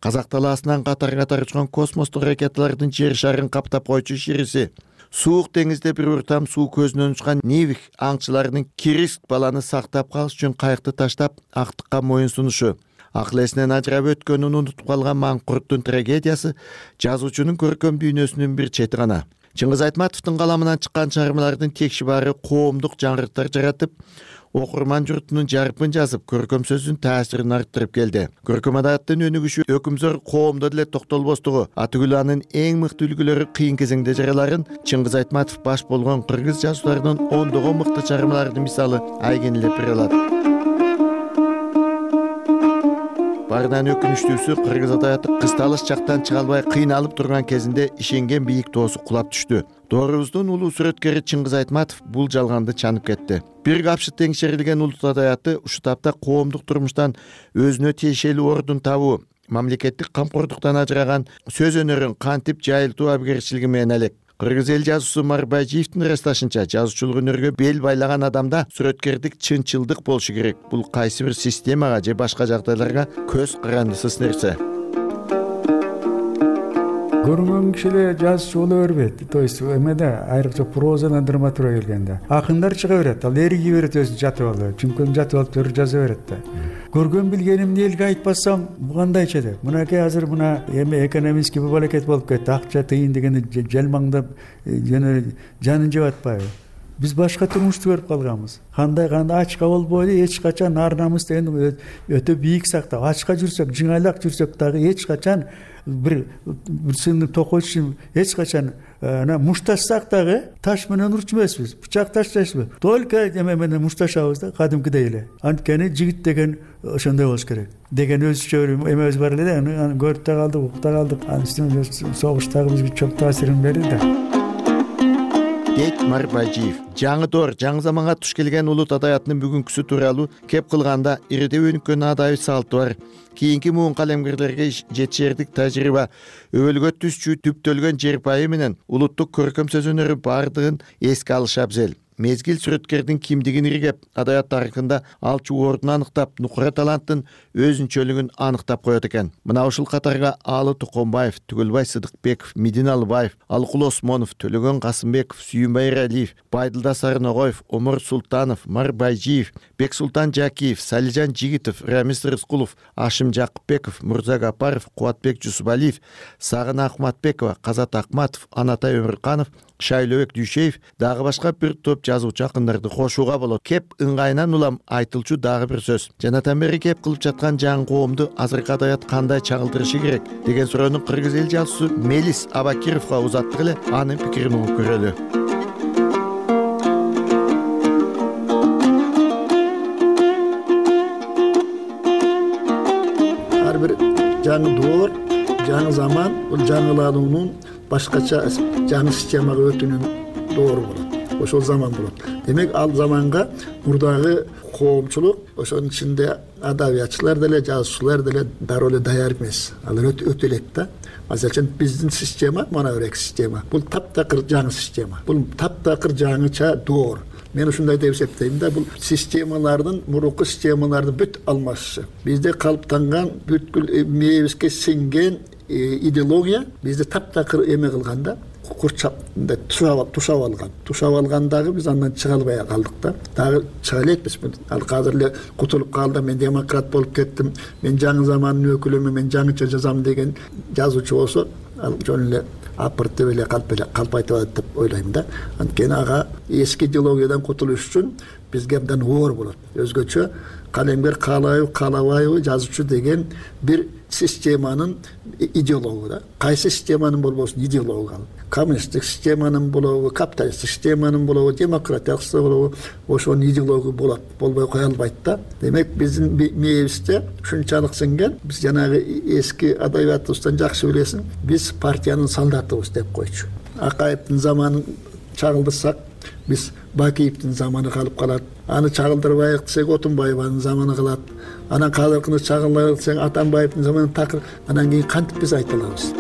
казак талаасынан катар-катар учкан космостук ракеталардын жер шарын каптап койчу шириси, суук деңизде бир уртам суу көзүнөн учкан Невих аңчыларынын Кириск баланы сактап калыш үчүн кайыкты таштап актыкка моюн сунушу, акыл эсинен ажырап өткөнүн унутуп калган маңкурттун трагедиясы жазуучунун көркөм дүйнөсүнүн бир чети гана. Чыңгыз Айтматовдун каламынан чыккан чыгармалардын текши баары коомдук жаңырыктар жаратып, окурман журтунун жарпын жазып, көркөм сөздүн таасирин арттырып келди. Көркөм адабияттын өнүгүшү өкүмзөр коомдо деле токтолбостугу, атүгүл анын эң мыкты үлгүлөрү кыйын кезеңде жараларын Чыңгыз Айтматов баш болгон кыргыз жазуучуларынын ондогон мыкты чыгармаларынын мисалы айгинелеп бере алат. Барынан өкүнүчтүүсү кыргыз адабияты кысталыш жактан чыга албай кыйналып турган кезинде ишенген бийик тоосу кулап түштү. Доорубуздун улуу сүрөткери Чыңгыз Айтматов бул жалганды чанып кетти. Бир капшы теңшерилген улут адабияты ушу тапта коомдук турмуштан өзүнө тиешелүү ордун табуу, мамлекеттик камкордуктан ажыраган сөз өнөрүн кантип жайылтуу абийирчилиги менен элек. Кыргыз эл жазуучусу Марбайжиевдин ырасташынча, жазуучулук өнөргө бел байлаган адамда сүрөткердик чынчылдык болушу керек. Бул кайсы бир системага же башка жагдайларга көз карандысыз нерсе. Көрүнгөн кишилер жазуучу боло бербейт. То есть эмеде айрыкча прозадан драматургия келгенде акындар чыга берет, ал эриги берет өзү жатып алып, чүмкөн жатып алып төрү жаза берет да. Көргөн билгенимди элге айтпасам кандайча деп. Мынакей азыр мына эми экономический бабалакет болуп кетти. Акча тыйын дегенде жалмаңдап жана жанын жеп атпайбы? Биз башка турмушту көрүп калганбыз. Кандай кандай ачка болбойду, эч качан ар намыс деген өтө бийик сактап, ачка жүрсөк, жыңайлак жүрсөк дагы эч качан бир бир сынды токойчу эч качан ана мушташсак дагы таш менен урчу эмеспиз, бычак таштайбызбы? Только эме менен мушташабыз да, кадимкидей эле. Анткени жигит деген ошондой болуш керек деген өзүчө эмебиз бар эле да, аны көрүп да калдык, угуп да калдык. Анын согуштагы бизге чоң таасирин берди да. Дейт Марбайжиев. Жаңы доор, жаңы заманга туш келген улут адабиятынын бүгүнкүсү тууралуу кеп кылганда ириде өнүккөн адабий салты бар. Кийинки муун калемгерлерге жетишердик тажрыйба, өбөлгө түзчү түптөлгөн жер пайы менен улуттук көркөм сөз өнөрү бардыгын эске алыш абзел. Мезгил сүрөткердин кимдигин иргеп, адабият тарыхында алчу ордун аныктап, нукура таланттын өзүнчөлүгүн аныктап коет экен. Мына ушул катарга Алы Туконбаев, Түгөлбай Сыдыкбеков, Мидин Алыбаев, Алыкул Осмонов, Төлөгөн Касымбеков, Сүйүнбай Эралиев, Байдылда Сарыногоев, Омар Султанов, Марбайжиев, Бексултан Жакиев, Салижан Жигитов, Рамис Рыскулов, Ашим Жакыпбеков, Мурза Гапаров, Кубатбек Жусубалиев, Сагына Акматбекова, Казат Акматов, Анатай Өмүрканов, Шайлообек Дүйшеев дагы башка бир топ жазуучу акындарды кошууга болот. Кеп ыңгайынан улам айтылчу дагы бир сөз. Жанатан бери кеп кылып жаткан жаңы коомду азыркы адабият кандай чагылдырышы керек деген суроону кыргыз эл жазуучусу Мелис Абакировго узаттык эле, анын пикирин угуп көрөлү. Ар бир жаңы доор, жаңы заман, бул жаңылануунун башкача жаңы системага өтүүнүн доору болот. Ошол заман болот. Демек ал заманга мурдагы коомчулук, ошонун ичинде адабиятчылар деле, жазуучулар деле дароо эле даяр эмес. Алар өтө элек да. Мисалы үчүн биздин система, мына бирек система. Бул таптакыр жаңы система. Бул таптакыр жаңыча доор. Мен ушундай деп эсептейм да, бул системалардын, мурунку системалардын бүт алмашышы. Бизде калыптанган бүткүл мээбизге сиңген идеология бизди таптакыр эме кылганда, курчап тушап тушап алган. Тушап алгандагы биз андан чыга албай калдык да. Дагы чыга элекпиз. Ал азыр эле кутулуп калды, мен демократ болуп кеттим, мен жаңы замандын өкүлүмүн, мен жаңыча жазам деген жазуучу болсо, ал жөн эле апыртып эле калп эле калп айтып атат деп ойлойм да. Анткени ага эски идеологиядан кутулуш үчүн бизге абдан оор болот. Өзгөчө калемгер каалайбы, каалабайбы жазуучу деген бир системанын идеологу да. Кайсы системанын болбосун идеологу ал. Коммунисттик системанын болобу, капиталисттик системанын болобу, демократиялык система болобу, ошонун идеологу болот. Болбой кое албайт да. Демек биздин мээбизде ушунчалык сиңген, биз жанагы эски адабиятыбыздан жакшы билесиң, биз партиянын солдатыбыз деп койчу. Акаевдин заманын чагылдырсак, биз Бакиевдин заманы калып калат. Аны чагылдырбайык десек, Отунбаеванын заманы калат. Анан казыркыны чагылдырбайык десең, Атамбаевдин заманы такыр. Анан кийин кантип биз айта алабыз?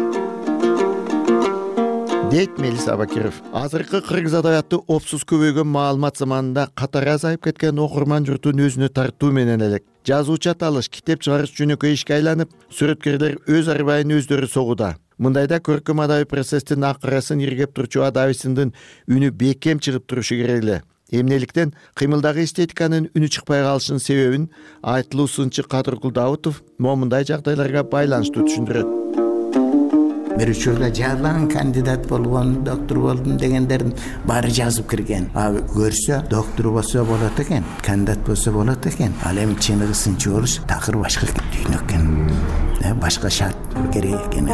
Дейт Мелис Абакиров. Азыркы кыргыз адабияты опсуз көбөйгөн маалымат заманында катары азайып кеткен окурман журтун өзүнө тартуу менен элек. Жазуучу аталыш, китеп чыгарыш жөнөкөй ишке айланып, сүрөткерлер өз арбайын өздөрү согууда. Мындайда көркөм адабий процесстин акырасын иргеп турчу адабийсиндин үнү бекем чыгып турушу керек эле. Эмнеликтен кыймылдагы эстетиканын үнү чыкпай калышынын себебин айтылуу сынчы Кадыркул Даутов момундай жагдайларга байланыштуу түшүндүрөт. бир учурда жардам кандидат болгон, доктор болдум дегендердин баары жазып кирген. А көрсө доктор болсо болот экен, кандидат болсо болот экен. Ал эми чыныгы сынчы болуш такыр башка дүйнө экен. Башка шарт керек экен.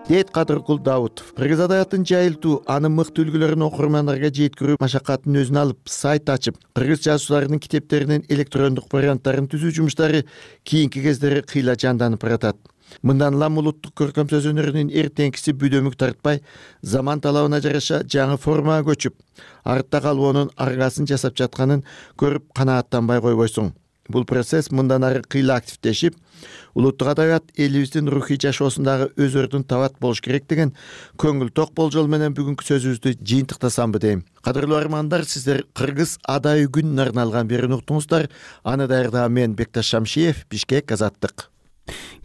дейт Кадыркул Даутов. Кыргыз адабиятын жайылтуу, анын мыкты үлгүлөрүн окурмандарга жеткирүү машакатын өзүнө алып, сайт ачып, кыргыз жазуучуларынын китептеринин электрондук варианттарын түзүү жумуштары кийинки кездери кыйла жанданып баратат. Мындан улам улуттук көркөм сөз өнөрүнүн эртеңкиси бүдөмүк тартпай, заман талабына жараша жаңы формага көчүп, артта калуунун аргасын жасап жатканын көрүп канааттанбай койбойсуң. Бул процесс мындан ары кыйла активдешип, улуттук адабият элибиздин рухий жашоосундагы өз ордун табат болуш керек деген көңүл ток болжол менен бүгүнкү сөзүбүздү жыйынтыктасамбы дейм. Кадырлуу армандар, сиздер Кыргыз Адай күнүнө арналган берүүнү уктуңуздар. Аны даярдаган мен Бекташ Шамшиев, Бишкек, Азаттык.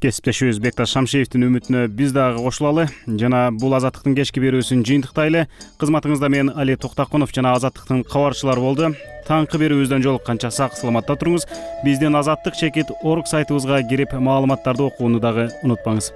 Кесиптешибиз Бекташ Шамшиевдин үмүтүнө биз дагы кошулалы жана бул Азаттыктын кечки берүүсүн жыйынтыктайлы. Кызматыңызда мен Али Токтакунов жана Азаттыктын кабарчылары болду. Таңкы берүүбүздөн жолукканча сак саламатта туруңуз. Биздин азаттык чекит орг сайтыбызга кирип маалыматтарды окууну дагы унутпаңыз.